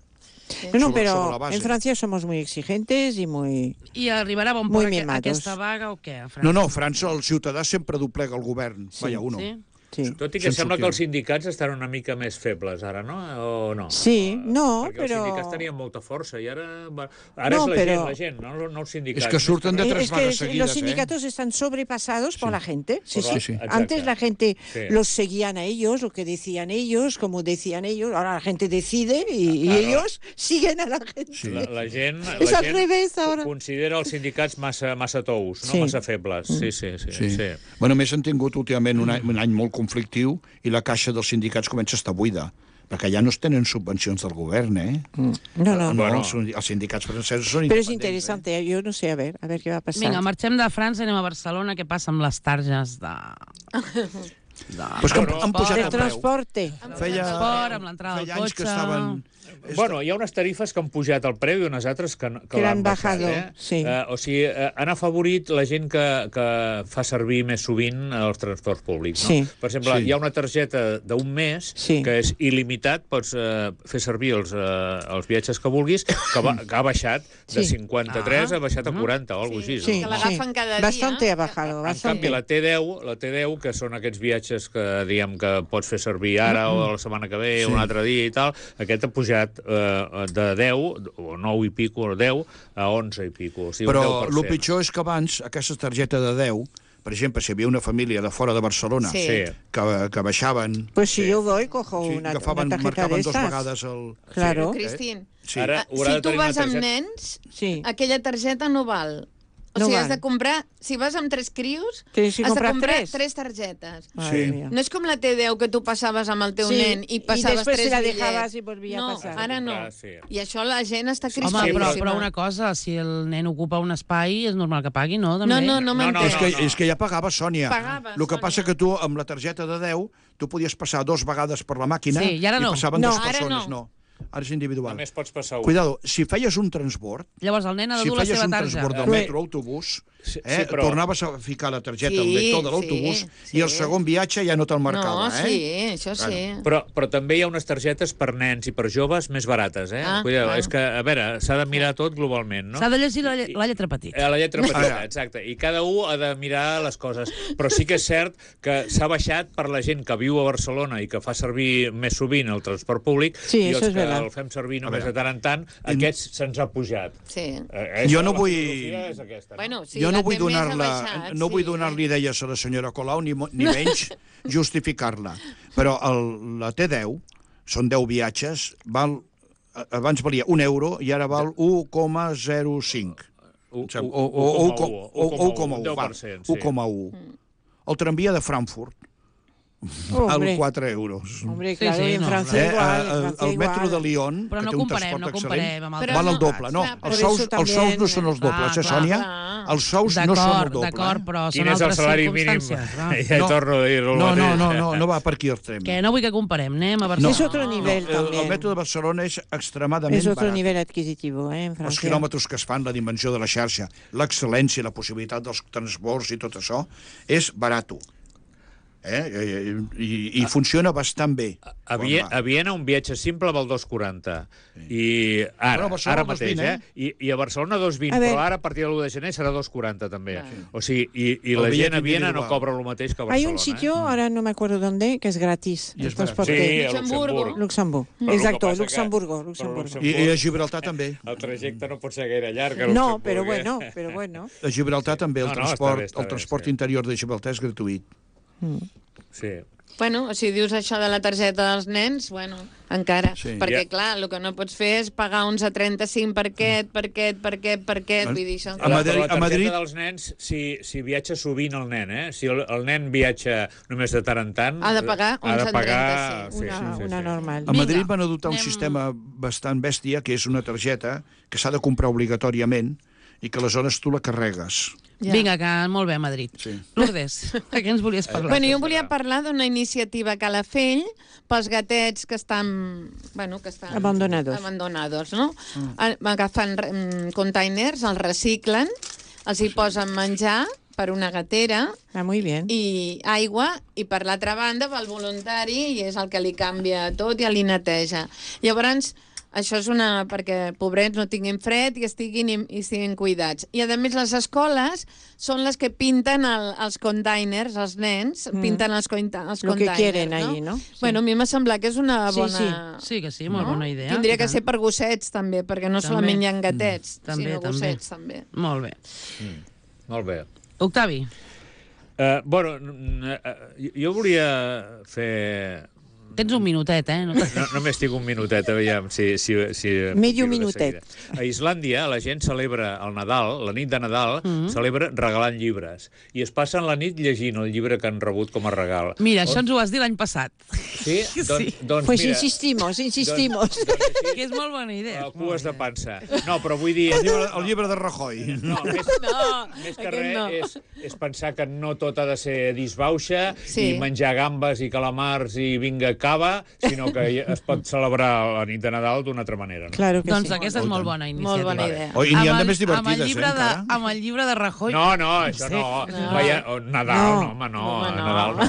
[SPEAKER 3] No,
[SPEAKER 5] Sobre la
[SPEAKER 3] pero
[SPEAKER 5] base.
[SPEAKER 3] en Francia somos muy exigentes y muy...
[SPEAKER 1] I arribarà a bon
[SPEAKER 3] Muy
[SPEAKER 1] port
[SPEAKER 3] mimados.
[SPEAKER 1] aquesta vaga o què? a França?
[SPEAKER 5] No, França, el ciutadà sempre doblega el govern.
[SPEAKER 1] Sí,
[SPEAKER 5] Vaya uno.
[SPEAKER 1] sí.
[SPEAKER 3] Sí.
[SPEAKER 4] Tot i que sembla que els sindicats estan una mica més febles ara, no? O no?
[SPEAKER 3] Sí, no,
[SPEAKER 4] perquè
[SPEAKER 3] però...
[SPEAKER 4] els sindicats tenien molta força i ara
[SPEAKER 3] No,
[SPEAKER 4] és la gent, no els sindicats.
[SPEAKER 5] És que surten de tres
[SPEAKER 3] Es
[SPEAKER 5] vagas
[SPEAKER 3] que
[SPEAKER 5] seguidas,
[SPEAKER 3] los sindicatos están sobrepasados por la gente. Sí, sí.
[SPEAKER 5] Sí.
[SPEAKER 3] Antes la gente
[SPEAKER 4] Sí.
[SPEAKER 3] los seguían a ellos, lo que decían ellos, como decían ellos. Ahora la gente decide y
[SPEAKER 4] Claro.
[SPEAKER 3] ellos siguen a la gente.
[SPEAKER 5] Sí.
[SPEAKER 4] La gent,
[SPEAKER 3] És
[SPEAKER 4] la
[SPEAKER 3] al
[SPEAKER 4] gent
[SPEAKER 3] revés, ara.
[SPEAKER 4] considera els sindicats massa tous, no?
[SPEAKER 3] Sí.
[SPEAKER 4] Massa febles. Sí.
[SPEAKER 5] Bueno, més han tingut últimament un any molt conflictiu i la caixa dels sindicats comença a estar buida, perquè ja no es tenen subvencions del govern, eh?
[SPEAKER 3] No.
[SPEAKER 4] Bueno.
[SPEAKER 5] Els sindicats francesos són
[SPEAKER 3] Pero es
[SPEAKER 5] independents.
[SPEAKER 3] interesante, yo no sé, a ver qué va a pasar.
[SPEAKER 1] Vinga, marxem de França i anem a Barcelona. Què passa amb les targes de...
[SPEAKER 5] Pues que han pujat
[SPEAKER 3] De
[SPEAKER 5] el preu.
[SPEAKER 3] transporte.
[SPEAKER 1] transport, amb l'entrada del
[SPEAKER 5] Feia anys que
[SPEAKER 1] cotxe.
[SPEAKER 5] estaven...
[SPEAKER 4] Bueno, hi ha unes tarifes que han pujat el preu i unes altres que
[SPEAKER 3] Que l'han
[SPEAKER 4] l'han baixat.
[SPEAKER 3] bajado, sí.
[SPEAKER 4] O sigui, han afavorit la gent que fa servir més sovint els transports públics. No?
[SPEAKER 3] Sí.
[SPEAKER 4] Per exemple,
[SPEAKER 5] Sí.
[SPEAKER 4] hi ha una targeta d'un mes
[SPEAKER 3] Sí.
[SPEAKER 4] que és il·limitat, pots fer servir els viatges que vulguis, que ha baixat de
[SPEAKER 3] Sí.
[SPEAKER 4] 53 ha baixat a 40 o alguna cosa així.
[SPEAKER 3] Sí,
[SPEAKER 2] Que l'agafen cada dia.
[SPEAKER 3] Bastante ha bajado,
[SPEAKER 4] En
[SPEAKER 3] bastante.
[SPEAKER 4] canvi, la T10, que són aquests viatges que diguem que pots fer servir ara o la setmana que ve, un altre dia i tal, aquest ha pujat de 10, o 9 i pico, o 10, a 11 i pico. O sigui,
[SPEAKER 5] Però
[SPEAKER 4] un 10%.
[SPEAKER 5] el pitjor és que abans aquesta targeta de 10, per exemple, si hi havia una família de fora de Barcelona
[SPEAKER 2] Sí.
[SPEAKER 5] que baixaven...
[SPEAKER 3] Pues si yo voy, cojo
[SPEAKER 5] Sí,
[SPEAKER 3] una
[SPEAKER 5] agafaven,
[SPEAKER 3] tarjeta de
[SPEAKER 5] marcaven dos
[SPEAKER 3] estas.
[SPEAKER 5] vegades el...
[SPEAKER 3] Claro.
[SPEAKER 2] Cristín,
[SPEAKER 5] Sí.
[SPEAKER 4] Ara haurà
[SPEAKER 2] si
[SPEAKER 4] de
[SPEAKER 2] tu
[SPEAKER 4] tenir una
[SPEAKER 2] vas amb
[SPEAKER 4] targeta-
[SPEAKER 2] nens,
[SPEAKER 3] Sí.
[SPEAKER 2] aquella targeta no val. O
[SPEAKER 3] No
[SPEAKER 2] sigui,
[SPEAKER 3] val.
[SPEAKER 2] has de comprar... Si vas amb 3 crios,
[SPEAKER 3] Tienes que
[SPEAKER 2] has de
[SPEAKER 3] comprar
[SPEAKER 2] comprar
[SPEAKER 3] tres.
[SPEAKER 2] 3 targetes.
[SPEAKER 3] Madre
[SPEAKER 5] Sí.
[SPEAKER 3] mía.
[SPEAKER 2] No és com la T10 que tu passaves amb el teu
[SPEAKER 3] Sí,
[SPEAKER 2] nen i
[SPEAKER 3] i
[SPEAKER 2] passaves
[SPEAKER 3] després
[SPEAKER 2] 3
[SPEAKER 3] se la
[SPEAKER 2] bitllets.
[SPEAKER 3] dejabas i volvia a
[SPEAKER 2] no,
[SPEAKER 3] passar.
[SPEAKER 2] ara no.
[SPEAKER 4] Clar, sí.
[SPEAKER 2] I això la gent està
[SPEAKER 1] Home,
[SPEAKER 2] crispadíssima.
[SPEAKER 1] però una cosa, si el nen ocupa un espai, és normal que pagui, no? També?
[SPEAKER 2] No
[SPEAKER 4] No,
[SPEAKER 2] m'entens.
[SPEAKER 5] És que ja pagaves, Sònia.
[SPEAKER 2] Pagaves,
[SPEAKER 5] El que
[SPEAKER 2] Sònia.
[SPEAKER 5] passa que tu, amb la targeta de 10, tu podies passar 2 vegades per la màquina
[SPEAKER 1] Sí, i ara no.
[SPEAKER 5] passaven
[SPEAKER 3] No,
[SPEAKER 5] 2
[SPEAKER 2] ara
[SPEAKER 5] persones.
[SPEAKER 2] no.
[SPEAKER 5] Ara és individual.
[SPEAKER 4] Només pots passar un.
[SPEAKER 5] Cuidado, si feies un transbord,
[SPEAKER 1] Llavors el nen ha de
[SPEAKER 5] si
[SPEAKER 1] dur la
[SPEAKER 5] feies
[SPEAKER 1] seva
[SPEAKER 5] un
[SPEAKER 1] tarja.
[SPEAKER 5] transbord del
[SPEAKER 3] Però-
[SPEAKER 5] metro o autobús,
[SPEAKER 4] Sí,
[SPEAKER 5] però... tornaves a ficar la targeta al
[SPEAKER 2] Sí,
[SPEAKER 5] lector de l'autobús
[SPEAKER 2] sí,
[SPEAKER 5] i el
[SPEAKER 2] sí.
[SPEAKER 5] segon viatge ja no te'l marcava,
[SPEAKER 2] No,
[SPEAKER 5] eh?
[SPEAKER 2] sí, això sí.
[SPEAKER 4] Però també hi ha unes targetes per nens i per joves més barates, eh?
[SPEAKER 2] Ah,
[SPEAKER 4] Cuidado,
[SPEAKER 2] clar.
[SPEAKER 4] és que, a veure, s'ha de mirar tot globalment, no?
[SPEAKER 1] S'ha de llegir la lletra petita.
[SPEAKER 4] La lletra petita,
[SPEAKER 5] Ara.
[SPEAKER 4] exacte. I cada un ha de mirar les coses. Però sí que és cert que s'ha baixat per la gent que viu a Barcelona i que fa servir més sovint el transport públic
[SPEAKER 3] Sí,
[SPEAKER 4] i
[SPEAKER 3] eso
[SPEAKER 4] els
[SPEAKER 3] es
[SPEAKER 4] que
[SPEAKER 3] verdad.
[SPEAKER 4] el fem servir només
[SPEAKER 5] veure.
[SPEAKER 4] de tant en tant, aquests se'ns ha pujat.
[SPEAKER 2] Sí.
[SPEAKER 5] Jo no
[SPEAKER 4] La
[SPEAKER 5] vull-
[SPEAKER 4] filosofia és aquesta, no?
[SPEAKER 2] Bueno, sí,
[SPEAKER 5] Jo no
[SPEAKER 2] la
[SPEAKER 5] vull
[SPEAKER 2] té més
[SPEAKER 5] donar-la,
[SPEAKER 2] abaixat,
[SPEAKER 5] no vull
[SPEAKER 2] sí.
[SPEAKER 5] donar-li idees a la senyora Colau, ni menys justificar-la. Però la T10, són 10 viatges, abans valia €1 i ara val 1,05. O 1,1, val, 1,1. El tramvia de Frankfurt val
[SPEAKER 3] Hombre,
[SPEAKER 5] €4.
[SPEAKER 3] hombre,
[SPEAKER 1] Sí,
[SPEAKER 3] claro,
[SPEAKER 1] sí,
[SPEAKER 3] y en
[SPEAKER 1] no,
[SPEAKER 3] Francia igual. en Francia
[SPEAKER 5] El metro
[SPEAKER 3] igual.
[SPEAKER 5] de Lyon,
[SPEAKER 1] Però
[SPEAKER 5] que
[SPEAKER 1] no
[SPEAKER 5] té un
[SPEAKER 1] comparem,
[SPEAKER 5] transport
[SPEAKER 1] no
[SPEAKER 5] excel·lent,
[SPEAKER 1] comparem amb
[SPEAKER 2] Però
[SPEAKER 5] val el
[SPEAKER 2] no,
[SPEAKER 5] doble. No,
[SPEAKER 2] clar,
[SPEAKER 3] per
[SPEAKER 5] els
[SPEAKER 3] eso
[SPEAKER 5] sous
[SPEAKER 3] també-
[SPEAKER 5] no són els dobles,
[SPEAKER 1] Clar,
[SPEAKER 5] Sònia?
[SPEAKER 2] clar.
[SPEAKER 5] Els sous no són el doble.
[SPEAKER 1] D'acord, però
[SPEAKER 4] Quin
[SPEAKER 1] són
[SPEAKER 4] és el
[SPEAKER 1] altres
[SPEAKER 4] salari mínim?
[SPEAKER 1] circumstàncies. va.
[SPEAKER 4] Ja
[SPEAKER 5] No.
[SPEAKER 4] torno a dir-ho.
[SPEAKER 5] No va per aquí el tren.
[SPEAKER 1] Que no vull que comparem, anem a
[SPEAKER 5] No.
[SPEAKER 1] Barcelona.
[SPEAKER 3] Es otro nivel
[SPEAKER 5] El
[SPEAKER 3] también.
[SPEAKER 5] metro de Barcelona és extremadament
[SPEAKER 3] Es otro
[SPEAKER 5] barat.
[SPEAKER 3] nivel adquisitivo, en
[SPEAKER 5] Els
[SPEAKER 3] Francia.
[SPEAKER 5] quilòmetres que es fan, la dimensió de la xarxa, l'excel·lència, la possibilitat dels transbords i tot això, és barato. I funciona bastant bé.
[SPEAKER 4] A Viena un viatge simple val 2,40. I
[SPEAKER 5] Però a Barcelona
[SPEAKER 4] ara mateix,
[SPEAKER 5] 2,20,
[SPEAKER 4] I a Barcelona 2,20,
[SPEAKER 3] A veure.
[SPEAKER 4] però ara a partir de l'1 de gener serà 2,40 també.
[SPEAKER 2] Clar.
[SPEAKER 4] O sigui, i
[SPEAKER 5] El
[SPEAKER 4] la
[SPEAKER 5] bitllet
[SPEAKER 4] gent a Viena no
[SPEAKER 5] individual.
[SPEAKER 4] cobra el mateix que a
[SPEAKER 3] Hay
[SPEAKER 4] Barcelona.
[SPEAKER 3] un sitio, ahora no me acuerdo dónde, que es gratis.
[SPEAKER 5] Y
[SPEAKER 3] el
[SPEAKER 5] es barato.
[SPEAKER 3] transporte.
[SPEAKER 4] Sí, a
[SPEAKER 2] Luxemburgo.
[SPEAKER 3] Luxemburgo.
[SPEAKER 4] Però el que
[SPEAKER 3] Exacto,
[SPEAKER 4] passa que-
[SPEAKER 3] Luxemburgo.
[SPEAKER 4] però
[SPEAKER 3] Luxemburgo.
[SPEAKER 5] I a Gibraltar també.
[SPEAKER 4] El trajecte no pot ser gaire llarg. a
[SPEAKER 3] No,
[SPEAKER 4] Luxemburg,
[SPEAKER 3] pero
[SPEAKER 4] eh?
[SPEAKER 3] bueno.
[SPEAKER 5] A Gibraltar també el
[SPEAKER 4] No,
[SPEAKER 5] transport,
[SPEAKER 4] està bé, sí.
[SPEAKER 5] interior de Gibraltar és gratuït.
[SPEAKER 4] Sí.
[SPEAKER 2] Bueno, o si dius això de la targeta dels nens, bueno, encara.
[SPEAKER 5] Sí.
[SPEAKER 2] Perquè,
[SPEAKER 4] Ja.
[SPEAKER 2] clar, el que no pots fer és pagar uns a 35 per aquest. Vull dir, això...
[SPEAKER 5] A Madrid-
[SPEAKER 4] Però la
[SPEAKER 5] a Madrid-
[SPEAKER 4] targeta dels nens, si viatja sovint el nen, si el nen viatja només de tant en tant...
[SPEAKER 2] Ha de pagar
[SPEAKER 4] ha de
[SPEAKER 2] 11,35.
[SPEAKER 4] pagar, sí,
[SPEAKER 3] Una normal.
[SPEAKER 5] A Madrid van adoptar un
[SPEAKER 1] anem-
[SPEAKER 5] sistema bastant bèstia, que és una targeta que s'ha de comprar obligatòriament i que aleshores tu la carregues.
[SPEAKER 2] Ja.
[SPEAKER 1] Vinga, que molt bé a Madrid.
[SPEAKER 5] Sí.
[SPEAKER 1] Lourdes, de què ens volies parlar?
[SPEAKER 2] Bueno, jo volia parlar d'una iniciativa a Calafell pels gatets que estan... Abandonados, no? Agafen containers, els reciclen, els hi posen menjar per una gatera
[SPEAKER 3] Ah, muy bien.
[SPEAKER 2] i aigua, i per l'altra banda va el voluntari i és el que li canvia tot i li neteja. Llavors, això és perquè pobrets no tinguin fred i estiguin cuidats. I, a més, les escoles són les que pinten els containers, els nens, pinten els containers.
[SPEAKER 3] Lo que quieren ahí, ¿no? Sí.
[SPEAKER 2] Bueno, a mi m'ha semblat que és una bona...
[SPEAKER 1] Sí que sí, molt bona idea.
[SPEAKER 2] Tindria que ser per gossets, també, perquè no solament hi ha gatets, sinó gossets, també.
[SPEAKER 1] Molt bé.
[SPEAKER 4] Molt bé.
[SPEAKER 1] Octavi.
[SPEAKER 4] Bueno, jo volia fer...
[SPEAKER 1] Tens un minutet,
[SPEAKER 4] Només tinc un minutet, aviam si
[SPEAKER 3] Medio minutet.
[SPEAKER 4] A Islàndia la gent celebra el Nadal, la nit de Nadal, celebra regalant llibres. I es passen la nit llegint el llibre que han rebut com a regal.
[SPEAKER 1] Mira, això ens ho vas dir l'any passat.
[SPEAKER 4] Sí? Doncs
[SPEAKER 3] pues
[SPEAKER 4] mira,
[SPEAKER 3] insistimos.
[SPEAKER 1] Que és molt bona idea.
[SPEAKER 4] Cues de pansa. No, però vull dir...
[SPEAKER 5] El llibre de Rajoy.
[SPEAKER 4] No, més que res és pensar que no tot ha de ser disbauxa i menjar gambes i calamars i vinga cava, sinó que es pot celebrar la nit de Nadal d'una altra manera. No?
[SPEAKER 3] Claro que
[SPEAKER 1] doncs
[SPEAKER 3] sí.
[SPEAKER 1] aquesta és molt bona iniciativa.
[SPEAKER 2] Molt bona idea.
[SPEAKER 5] I n'hi ha de més divertides, encara.
[SPEAKER 1] Amb el llibre de Rajoy.
[SPEAKER 4] No, això no. Nadal, no, home, no. Nadal no.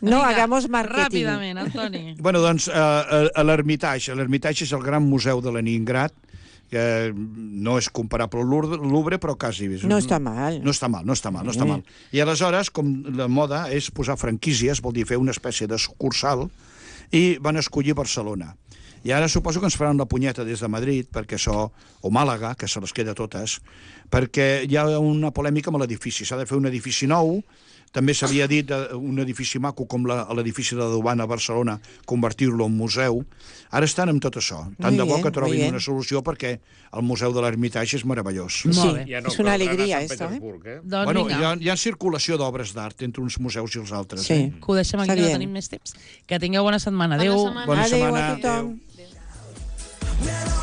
[SPEAKER 3] No, hagamos marketing.
[SPEAKER 1] Ràpidament, Antoni.
[SPEAKER 5] Bueno, doncs, a l'Hermitage. L'Hermitage és el gran museu de Leningrad, que no és comparable al Louvre, però quasi.
[SPEAKER 3] No està mal.
[SPEAKER 5] No està mal. I aleshores, com la moda és posar franquícies, vol dir fer una espècie de sucursal, i van escollir Barcelona. I ara suposo que ens faran la punyeta des de Madrid, perquè això, o Màlaga, que se les queda totes, perquè hi ha una polèmica amb l'edifici. S'ha de fer un edifici nou. També s'havia dit un edifici maco com l'edifici de la Duana a Barcelona, convertir-lo en museu. Ara estan amb tot això. Tant de bo que trobin una solució, perquè el Museu de l'Hermitage és meravellós.
[SPEAKER 3] Sí, és una alegria, esto.
[SPEAKER 5] Bueno, hi ha circulació d'obres d'art entre uns museus i els altres.
[SPEAKER 3] Sí.
[SPEAKER 1] Que ho deixem aquí, no tenim més temps. Que tingueu bona setmana. Adéu.
[SPEAKER 5] Bona setmana.
[SPEAKER 3] Adéu a tothom.